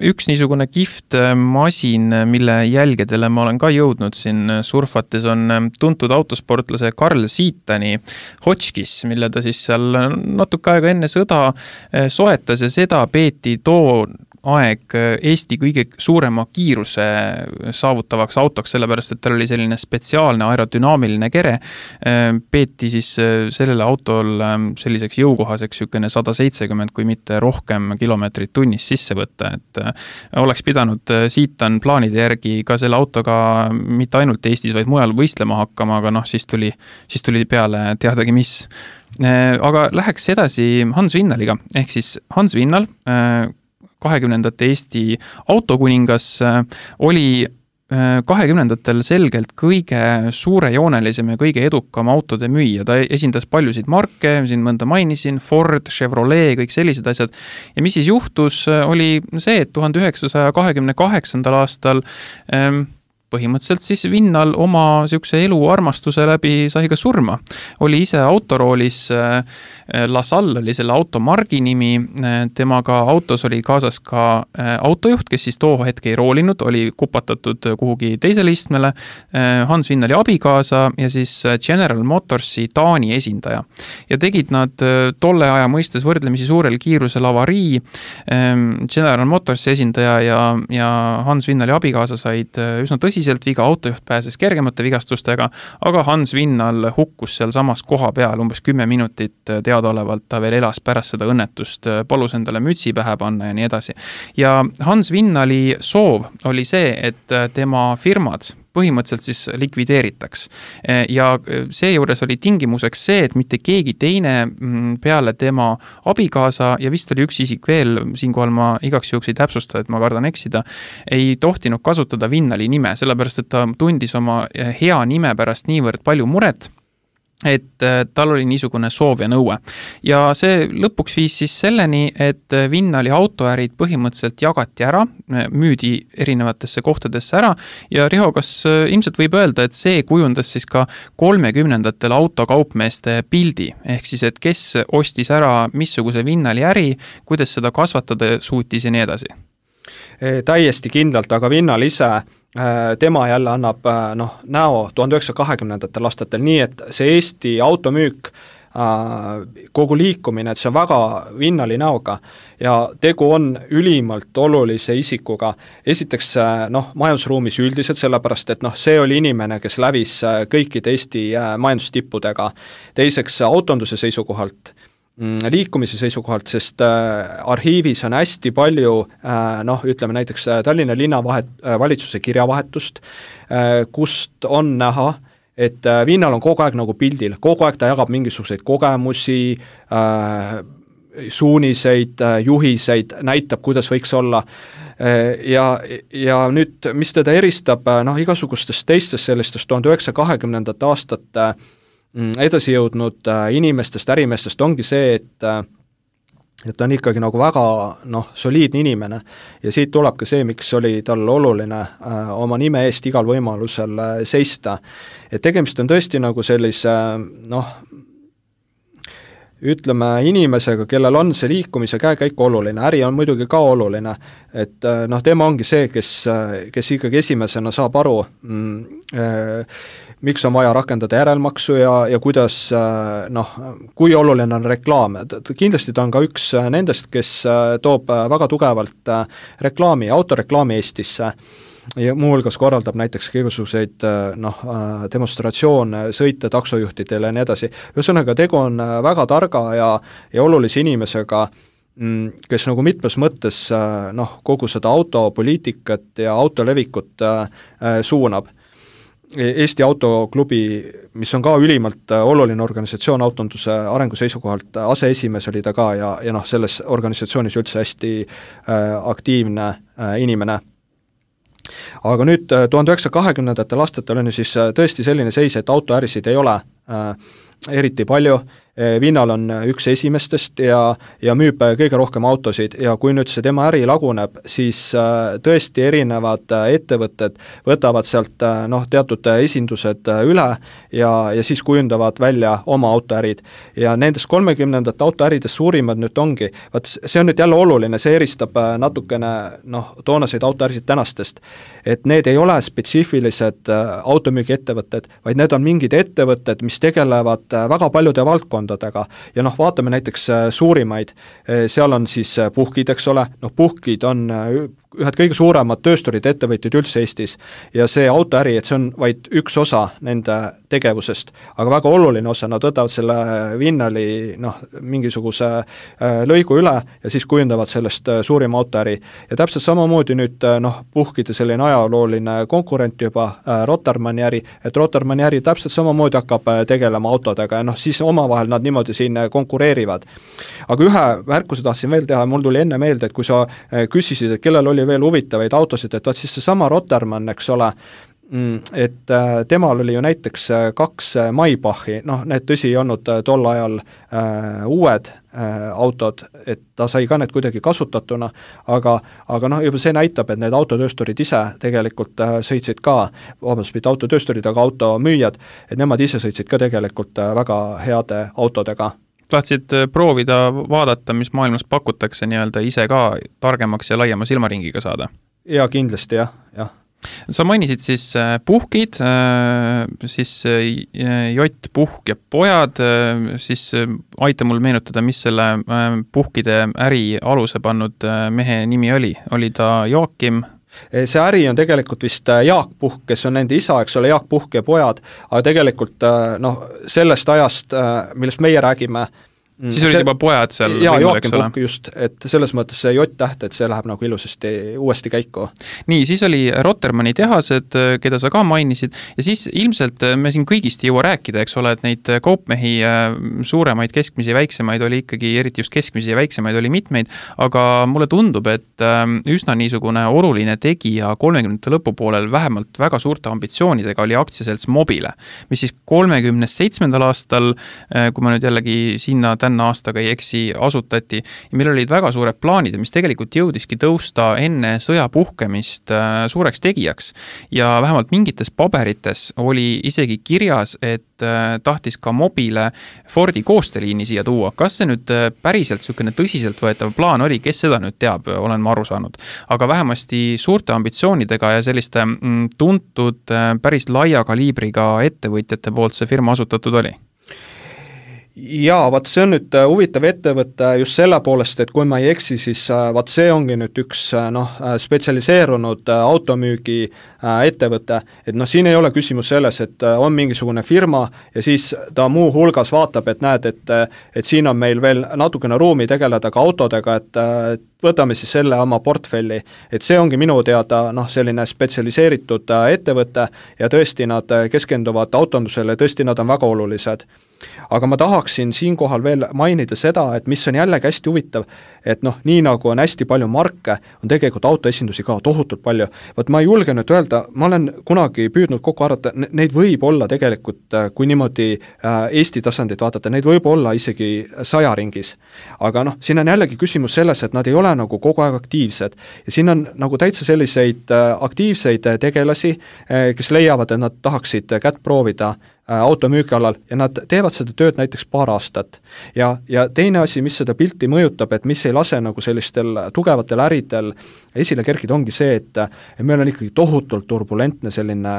Üks niisugune kihvt masin, mille jälgedele ma olen ka jõudnud siin surfates, on tuntud autosportlase Carl Siitani Hotchkiss, mille ta siis seal natuke aega enne sõda soetas ja seda peeti too aeg Eesti kõige suurema kiiruse saavutavaks autoks, sellepärast, et tal oli selline spetsiaalne aerodünaamiline kere, peeti siis sellele autol selliseks jõukohaseks 170, kui mitte rohkem kilomeetrit tunnis sisse võtta, et oleks pidanud Siitan plaanide järgi ka selle autoga mitte ainult Eestis, vaid mujal võistlema hakkama, aga siis tuli peale teadagi mis. Aga läheks edasi Hans Vinnaliga, ehk siis Hans Vinnal 20. Eesti autokuningas oli 20. selgelt kõige suurejoonelisem ja kõige edukam autode müüja. Ta esindas paljusid marke, siin mõnda mainisin, Ford, Chevrolet, kõik sellised asjad. Ja mis siis juhtus, oli see, et 1928. aastal põhimõtteliselt siis Vinnal oma siukse eluarmastuse läbi sai ka surma. Oli ise autoroolis, LaSalle oli selle automargi nimi, temaga autos oli kaasas ka autojuht, kes siis too hetk ei roolinud, oli kupatatud kuhugi teisele istmele, Hans Vinnali abikaasa ja siis General Motorsi Taani esindaja. Ja tegid nad tolle aja mõistes võrdlemisi suurel kiirusel avarii, General Motorsi esindaja ja Hans Vinnali abikaasa said üsna tõsiselt tõsiselt viga, autojuht pääses kergemate vigastustega, aga Hans Vinnal hukkus seal samas koha peal umbes 10 minutit, teadaolevalt ta veel elas pärast seda õnnetust, palus endale mütsi pähe panna ja nii edasi. Ja Hans Vinnali soov oli see, et tema firmad põhimõtteliselt siis likvideeritaks. Ja seejuures oli tingimuseks see, et mitte keegi teine peale tema abikaasa ja vist oli üks isik veel, siinkohal ma igaks juhuks ei täpsusta, et ma kardan eksida, ei tohtinud kasutada Vinnali nime, sellepärast et ta tundis oma hea nime pärast niivõrd palju muret, et tal oli niisugune soov ja nõue. Ja see lõpuks viis siis selleni, et Vinnali autoärid põhimõtteliselt jagati ära, müüdi erinevatesse kohtadesse ära ja Riho, kas ilmselt võib öelda, et see kujundas siis ka 30ndatel autokaupmeeste pildi, ehk siis, et kes ostis ära missuguse Vinnali äri, kuidas seda kasvatada suutis ja nii edasi? Täiesti kindlalt, aga Vinnal ise tema jälle annab näo 1920ndatel aastatel nii, et see Eesti automüük, kogu liikumine, et see on väga Vinnali näoga ja tegu on ülimalt olulise isikuga. Esiteks majandusruumis üldiselt, sellepärast et see oli inimene, kes lävis kõikide Eesti majandustippudega. Teiseks autonduse seisukohalt, liikumise seisukohalt, sest arhiivis on hästi palju, ütleme näiteks Tallinna linnavalitsuse kirjavahetust, kust on näha, et Vinnal on kogu aeg nagu pildil, kogu aeg ta jagab mingisuguseid kogemusi, suuniseid, juhiseid, näitab, kuidas võiks olla. Ja nüüd, mis teda eristab igasugustest teistest sellistest 1920. aastate edasi jõudnud inimestest, ärimeestest ongi see, et ta on ikkagi nagu väga soliidne inimene ja siit tuleb ka see, miks oli tal oluline oma nime eest igal võimalusel seista. Et tegemist on tõesti nagu sellise ütleme inimesega, kellel on see liikumise käekäik oluline, äri on muidugi ka oluline, et tema ongi see, kes ikkagi esimesena saab aru, miks on vaja rakendada järelmaksu ja kuidas, kui oluline on reklaam. Kindlasti ta on ka üks nendest, kes toob väga tugevalt autoreklaami Eestisse ja muuhulgas korraldab näiteks igasuguseid demonstratsioone, sõite taksojuhtidele ja nii edasi. Ühesõnaga, tegu on väga targa ja olulise inimesega, kes nagu mitmes mõttes kogu seda autopoliitikat ja autolevikut suunab. Eesti Autoklubi, mis on ka ülimalt oluline organisatsioon autonduse arengu seisukohalt, aseesimees oli ta ka ja selles organisatsioonis üldse hästi aktiivne inimene. Aga nüüd 1920ndatel aastatel on ju siis tõesti selline seis, et autoärisid ei ole eriti palju, Vinnal on üks esimestest ja müüb kõige rohkem autosid ja kui nüüd see tema äri laguneb, siis tõesti erinevad ettevõtted võtavad sealt teatud esindused üle ja siis kujundavad välja oma autoärid. Ja nendest 30ndate autoäridest suurimad nüüd ongi, see on nüüd jälle oluline, see eristab natukene toonaseid autoärisid tänastest, et need ei ole spetsiifilised automüügiettevõtted, vaid need on mingid ettevõtted, mis tegelevad väga paljude valdkondadega ja vaatame näiteks suurimaid, seal on siis puhkid, eks ole, puhkid on ühed kõige suuremad töösturid ettevõtjad üldse Eestis ja see autoäri, et see on vaid üks osa nende tegevusest, aga väga oluline osa, nad võtavad selle Vinnali mingisuguse lõigu üle ja siis kujundavad sellest suurima autoäri ja täpselt samamoodi nüüd puhkide selline ajalooline konkurent juba Rotermanni äri, et Rotermanni äri täpselt samamoodi hakkab tegelema autodega ja siis omavahel nad niimoodi siin konkureerivad. Aga ühe märkuse tahtsin veel teha, mul tuli enne meelde, et kui sa küsisid, et kellel oli veel huvitavaid autosid, et siis see sama Rotermann, eks ole, et temal oli ju näiteks 2 Maybachi, need tõsi ei olnud tol ajal uued autod, et ta sai ka need kuidagi kasutatuna, aga juba see näitab, et need autotöösturid ise tegelikult sõitsid ka, mitte autotöösturid, aga automüüjad, et nemad ise sõitsid ka tegelikult väga heade autodega. Tahtsid proovida vaadata, mis maailmas pakutakse nii-öelda ise ka targemaks ja laiema silmaringiga saada? Ja kindlasti, jah. Sa mainisid siis puhkid, siis Jott, Puhk ja pojad, siis aita mul meenutada, mis selle puhkide äri aluse pannud mehe nimi oli. Oli ta Joakim? See äri on tegelikult vist Jaak Puhk, kes on nende isa, eks ole, Jaak Puhk ja pojad, aga tegelikult sellest ajast, millest meie räägime, siis olid juba pojad seal võimul, eks ole? Just, et selles mõttes see J-täht, et see läheb nagu ilusasti uuesti käiku. Nii, siis oli Rotermanni tehased, keda sa ka mainisid, ja siis ilmselt me siin kõigist ei jõua rääkida, eks ole, et neid kaupmehi suuremaid, keskmisi ja väiksemaid oli ikkagi, eriti just keskmisi ja väiksemaid oli mitmeid, aga mulle tundub, et üsna niisugune oluline tegija 30. lõpupoolel vähemalt väga suurte ambitsioonidega oli aktsiaselts Mobile, mis siis 37. aastal, kui ma nüüd jällegi sinna aastaga ei eksi, asutati ja meil olid väga suured plaanid, mis tegelikult jõudiski tõusta enne sõja puhkemist suureks tegijaks ja vähemalt mingites paberites oli isegi kirjas, et tahtis ka Mobile Fordi koostööliini siia tuua. Kas see nüüd päriselt niisugune tõsiselt võetav plaan oli, kes seda nüüd teab, olen ma aru saanud. Aga vähemasti suurte ambitsioonidega ja selliste tuntud päris laia kaliibriga ettevõtjate poolt see firma asutatud oli? Jaa, vaat see on nüüd huvitav ettevõte just selle poolest, et kui ma ei eksi, siis vaat see ongi nüüd üks spetsialiseerunud automüügi ettevõte, et siin ei ole küsimus selles, et on mingisugune firma ja siis ta muu hulgas vaatab, et näed, et siin on meil veel natukene ruumi tegeleda ka autodega, et võtame siis selle oma portfelli, et see ongi minu teada selline spetsialiseeritud ettevõte ja tõesti nad keskenduvad autondusele, tõesti nad on väga olulised. Aga ma tahaksin siinkohal veel mainida seda, et mis on jällegi hästi huvitav, et nii nagu on hästi palju marke, on tegelikult autoesindusi ka tohutult palju. Võt ma ei julge nüüd öelda, ma olen kunagi püüdnud kokku arvata, neid võib olla tegelikult, kui niimoodi Eesti tasandit vaadata, neid võib olla isegi 100 ringis. Aga siin on jällegi küsimus selles, et nad ei ole nagu kogu aeg aktiivsed ja siin on nagu täitsa selliseid aktiivseid tegelasi, kes leiavad, et nad tahaksid kätt proovida automüügi alal ja nad teevad seda tööd näiteks paar aastat. Ja teine asi, mis seda pilti mõjutab, et mis ei lase nagu sellistel tugevatel äridel esile kerkida, ongi see, et meil on ikkagi tohutult turbulentne selline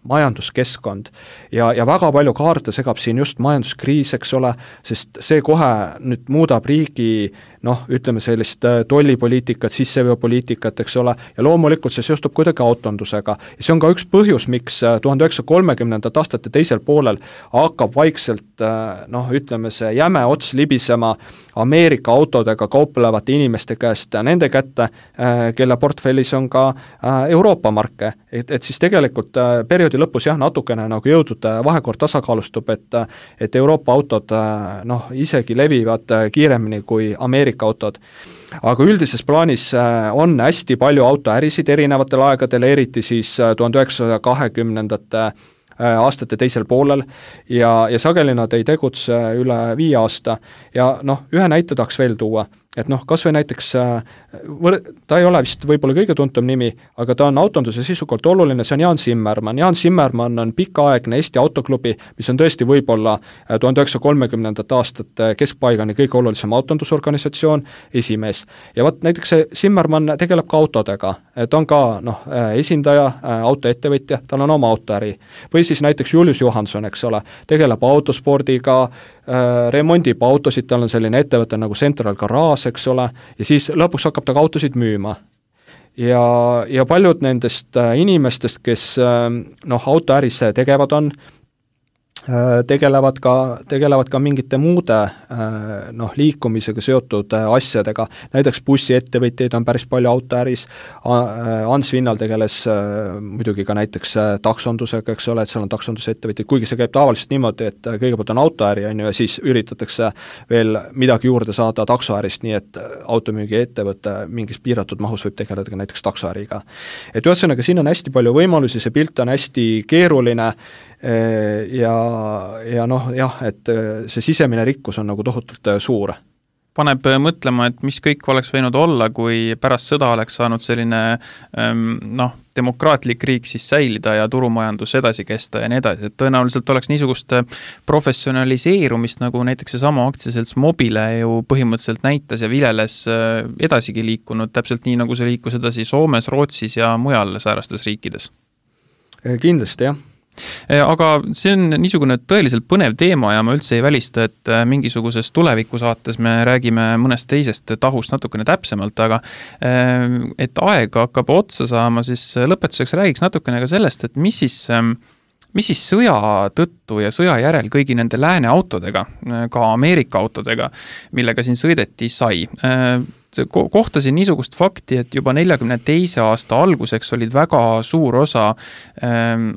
majanduskeskkond ja väga palju kaarte segab siin just majanduskriis, eks ole, sest see kohe nüüd muudab riigi ütleme sellist tollipoliitikat, sisseveopoliitikat, eks ole, ja loomulikult see seostub kuidagi autondusega. Ja see on ka üks põhjus, miks 1930. aastate teisel poolel hakkab vaikselt, ütleme see jäme ots libisema Ameerika autodega kauplevate inimeste käest nende kätte, kelle portfellis on ka Euroopa marke. Et siis tegelikult perioodi lõpus natukene nagu jõudnud vahekord tasakaalustub, et Euroopa autod isegi levivad kiiremini kui Ameerika autod. Aga üldises plaanis on hästi palju autoärisid erinevatel aegadel, eriti siis 1920. aastate teisel poolel ja sageli nad ei tegutse üle 5 aasta ja ühe näite tahaks veel tuua, et kas või näiteks, ta ei ole vist võib-olla kõige tuntum nimi, aga ta on autonduse sisukult oluline, see on Jaan Zimmermann. Jaan Zimmermann on pikaaegne Eesti autoklubi, mis on tõesti võib-olla 1930. aastate keskpaigani kõige olulisem autondusorganisatsioon, esimees. Ja näiteks see Zimmermann tegeleb ka autodega, ta on ka esindaja, autoettevõtja, tal on oma autoäri. Või siis näiteks Julius Johansson, eks ole, tegeleb autospordiga, remondib autosid, tal on selline ettevõte nagu Central Garage, eks ole, ja siis lõpuks hakkab ta ka autosid müüma. Ja paljud nendest inimestest, kes autoäris tegevad on, tegelevad ka mingite muude liikumisega seotud asjadega, näiteks bussiettevõtjaid on päris palju autoäris, Ants Vinnal tegeles muidugi ka näiteks taksondusega, eks ole, et seal on taksondusettevõtjaid, kuigi see käib tavaliselt niimoodi, et kõigepealt on autoäri, ja siis üritatakse veel midagi juurde saada taksoärist, nii et automüügi ettevõte mingis piiratud mahus võib tegeleda ka näiteks taksoäriga. Et ühesõnaga, siin on hästi palju võimalusi, see pilt on hästi keeruline, et see sisemine rikkus on nagu tohutult suur. Paneb mõtlema, et mis kõik oleks võinud olla, kui pärast sõda oleks saanud selline demokraatlik riik siis säilida ja turumajandus edasi kesta ja nii edasi, et tõenäoliselt oleks niisugust professionaliseerumist, nagu näiteks see sama aktsiaselts Mobile ju põhimõtteliselt näitas ja vileles edasigi liikunud, täpselt nii, nagu see liikus edasi Soomes, Rootsis ja mujal säärastes riikides. Kindlasti, jah. Aga see on niisugune tõeliselt põnev teema ja ma üldse ei välista, et mingisuguses tulevikusaates me räägime mõnest teisest tahust natukene täpsemalt, aga et aeg hakkab otsa saama, siis lõpetuseks räägiks natukene ka sellest, et mis siis sõja tõttu ja sõja järel kõigi nende lääne autodega, ka Ameerika autodega, millega siin sõideti sai. Kohtasin niisugust fakti, et juba 42. aasta alguseks olid väga suur osa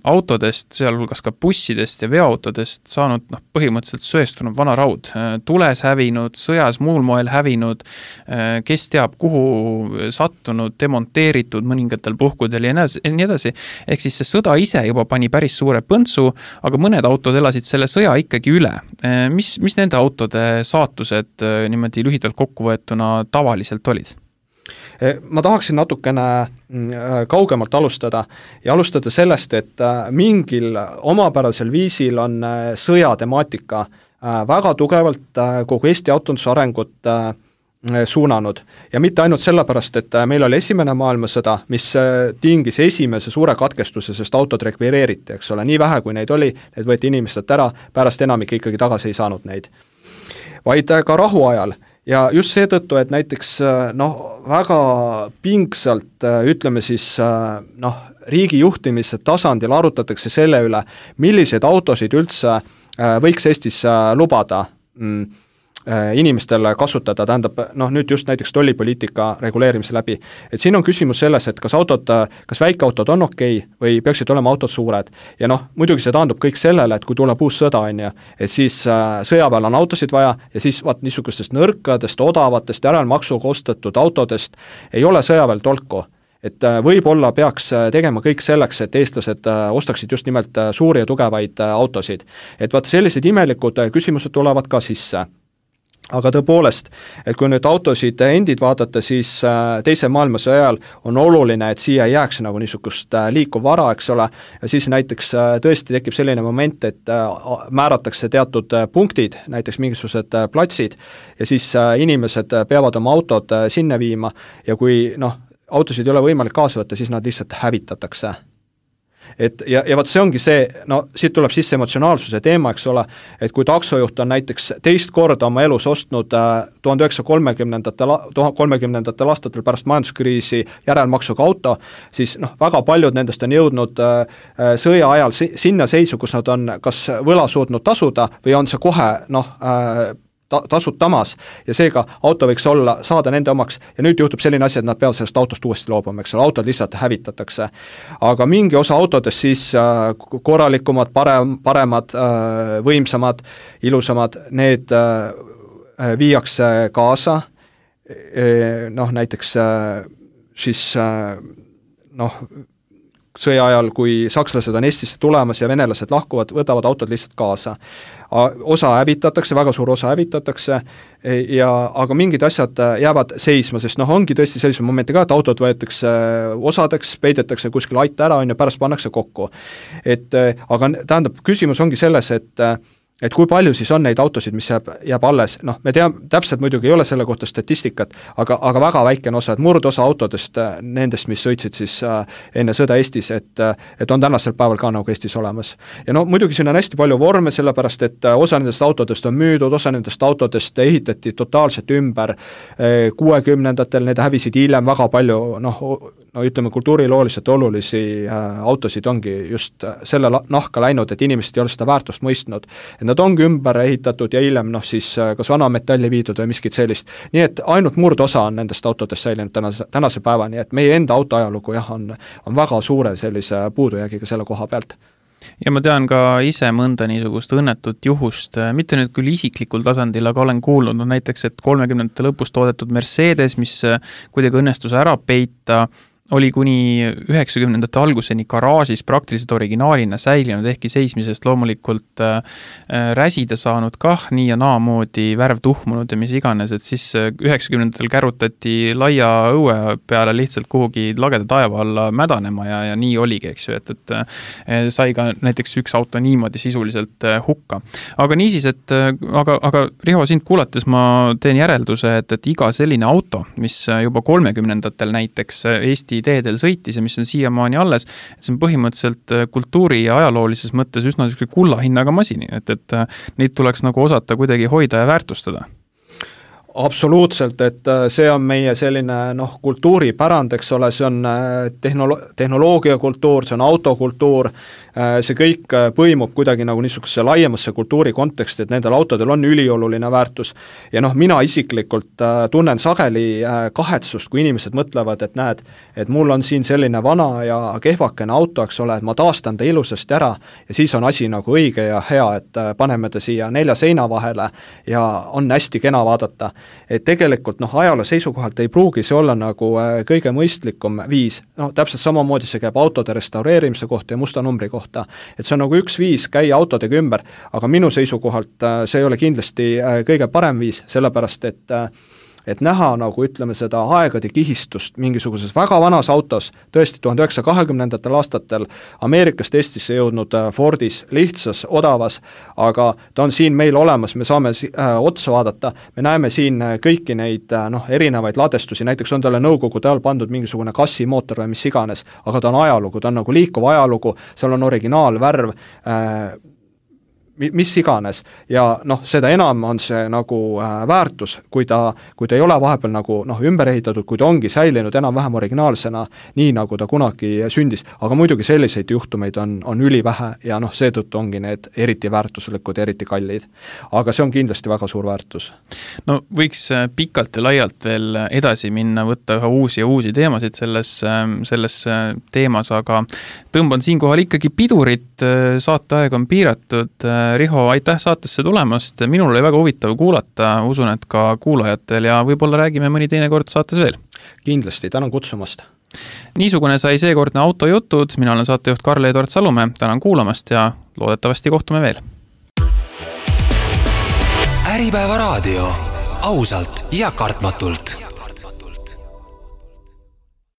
autodest, sealhulgas ka bussidest ja veoautodest saanud põhimõtteliselt söestunud vana raud. Tules hävinud, sõjas muul moel hävinud, kes teab kuhu sattunud, demonteeritud mõningatel puhkudel ja nii edasi. Ehk siis see sõda ise juba pani päris suure põntsu, aga mõned autod elasid selle sõja ikkagi üle. Mis nende autode saatused niimoodi lühidalt kokkuvõetuna tavaliselt olid? Ma tahaksin natukene kaugemalt alustada ja alustada sellest, et mingil omapärasel viisil on sõjatemaatika väga tugevalt kogu Eesti autonduse arengut suunanud. Ja mitte ainult sellepärast, et meil oli esimene maailmasõda, mis tingis esimese suure katkestuse, sest autod rekvireeriti, eks ole, nii vähe kui neid oli, need võeti inimestelt ära, pärast enamik ikkagi tagasi ei saanud neid. Vaid ka rahuajal. Ja just seetõttu, et näiteks väga pingsalt, ütleme siis, riigi juhtimise tasandil arutatakse selle üle, milliseid autosid üldse võiks Eestis lubada inimestele kasutada, tähendab, nüüd just näiteks tollipoliitika reguleerimise läbi. Et siin on küsimus selles, et kas väikeautod on okei või peaksid olema autod suured. Ja muidugi see taandub kõik sellele, et kui tuleb uus sõda, et siis sõjaväel on autosid vaja ja siis niisugustest nõrkadest, odavatest, järelmaksuga ostetud autodest ei ole sõjaväel tolku. Et võib-olla peaks tegema kõik selleks, et eestlased ostaksid just nimelt suuri ja tugevaid autosid. Et sellised imelikud küsimused tulevad ka sisse. Aga tõepoolest, et kui nüüd autosid endid vaadata, siis teise maailmasõja ajal on oluline, et siia jääks nagu niisugust liikuv vara, eks ole, ja siis näiteks tõesti tekib selline moment, et määratakse teatud punktid, näiteks mingisugused platsid, ja siis inimesed peavad oma autod sinna viima ja kui autosid ei ole võimalik kaasa võtta, siis nad lihtsalt hävitatakse. Ja see ongi see, siit tuleb sisse emotsionaalsuse teema, eks ole, et kui taksojuht on näiteks teist korda oma elus ostnud 1930. aastatel pärast majanduskriisi järelmaksuga auto, siis väga paljud nendest on jõudnud sõja ajal sinna seisu, kus nad on kas võla suutnud tasuda või on see kohe tasutamas ja seega auto võiks saada nende omaks ja nüüd juhtub selline asi, et nad peavad sellest autost uuesti loobuma, eks ole, autod lihtsalt hävitatakse. Aga mingi osa autodest siis korralikumad, paremad, võimsamad, ilusamad, need viiakse kaasa, näiteks siis sõja ajal, kui sakslased on Eestisse tulemas ja venelased lahkuvad, võtavad autod lihtsalt kaasa. Osa hävitatakse, väga suur osa hävitatakse, aga mingid asjad jäävad seisma, sest ongi tõesti sellise momenti ka, et autod võetakse osadeks, peidetakse kuskil aita ära, pärast pannakse kokku. Aga tähendab, küsimus ongi selles, et kui palju siis on neid autosid, mis jääb alles, me teame, täpselt muidugi ei ole selle kohta statistikat, aga väga väikene osa, et murdosa autodest nendest, mis sõitsid siis enne sõda Eestis, et on tänasel päeval ka nagu Eestis olemas. Ja muidugi siin on hästi palju vorme, sellepärast, et osa nendest autodest on müüdud, osa nendest autodest ehitati totaalselt ümber 60-ndatel, need hävisid hiljem väga palju, ütleme, kultuurilooliselt olulisi autosid ongi just selle nahka läinud, et inimesed ei ole seda väärtust mõistnud. Nad ongi ümber ehitatud ja hiljem siis kas vana metalli viidud või miskit sellist. Nii et ainult murdosa on nendest autodest säilinud tänase päevani, et meie enda autoajalugu on väga suure sellise puudujäägiga selle koha pealt. Ja ma tean ka ise mõnda niisugust õnnetut juhust, mitte nüüd küll isiklikul tasandil, aga olen kuulnud näiteks, et 30. lõpus toodetud Mercedes, mis kuidagi õnnestus ära peita, oli kuni 90. alguseni garaažis praktiliselt originaalina säilinud, ehkki seismisest loomulikult räsida saanud kah nii ja naamoodi, värv tuhmunud ja mis iganes, et siis 90. kärutati laia õue peale lihtsalt kuhugi lageda taeva alla mädanema ja nii oligi, eks ju, et sai ka näiteks üks auto niimoodi sisuliselt hukka. Aga niisiis, aga Riho, sind kuulates ma teen järelduse, et iga selline auto, mis juba 30-ndatel näiteks Eesti Eesti teedel sõitis ja mis on siiamaani alles, et see on põhimõtteliselt kultuuri ja ajaloolises mõttes üsna kulla hinnaga masini, et neid tuleks nagu osata kuidagi hoida ja väärtustada. Absoluutselt, et see on meie selline kultuuripärand, eks ole, see on tehnoloogiakultuur, see on autokultuur, see kõik põimub kuidagi nagu niisuguse laiemasse kultuuri konteksti, et nendel autodel on ülioluline väärtus. Ja mina isiklikult tunnen sageli kahetsust, kui inimesed mõtlevad, et näed, et mul on siin selline vana ja kehvakene auto, eks ole, et ma taastan ta ilusasti ära ja siis on asi nagu õige ja hea, et paneme ta siia 4 seina vahele ja on hästi kena vaadata. Et tegelikult ajaloo seisukohalt ei pruugi see olla nagu kõige mõistlikum viis, täpselt samamoodi see käib autode restaureerimise kohta ja musta numbri kohta. Et see on nagu üks viis käia autodega ümber, aga minu seisukohalt see ei ole kindlasti kõige parem viis, sellepärast et näha nagu ütleme seda aegade kihistust mingisuguses väga vanas autos, tõesti 1920. aastatel Ameerikast Eestisse jõudnud Fordis, lihtsas, odavas, aga ta on siin meil olemas, me saame otsa vaadata, me näeme siin kõiki neid erinevaid ladestusi, näiteks on talle nõukogude ajal pandud mingisugune kassimootor või mis iganes, aga ta on ajalugu, ta on nagu liikuv ajalugu, seal on originaalvärv, mis iganes ja seda enam on see nagu väärtus, kui ta ei ole vahepeal nagu ümber ehitatud, kui ta ongi säilinud enam-vähem originaalsena, nii nagu ta kunagi sündis, aga muidugi selliseid juhtumeid on ülivähe ja seetõttu ongi need eriti väärtuslikud, eriti kallid. Aga see on kindlasti väga suur väärtus. No võiks pikalt ja laialt veel edasi minna, võtta ühe uusi teemasid selles teemas, aga tõmban siinkohal ikkagi pidurit, saateaeg on piiratud. Riho, aitäh saatesse tulemast, minul oli väga huvitav kuulata, usun, et ka kuulajatel ja võib-olla räägime mõni teine kord saates veel. Kindlasti, tänan kutsumast. Niisugune sai seekordne autojutud, mina olen saatejuht Karl-Edvard Salumäe, tänan kuulamast ja loodetavasti kohtume veel. Äripäeva raadio, ausalt ja kartmatult.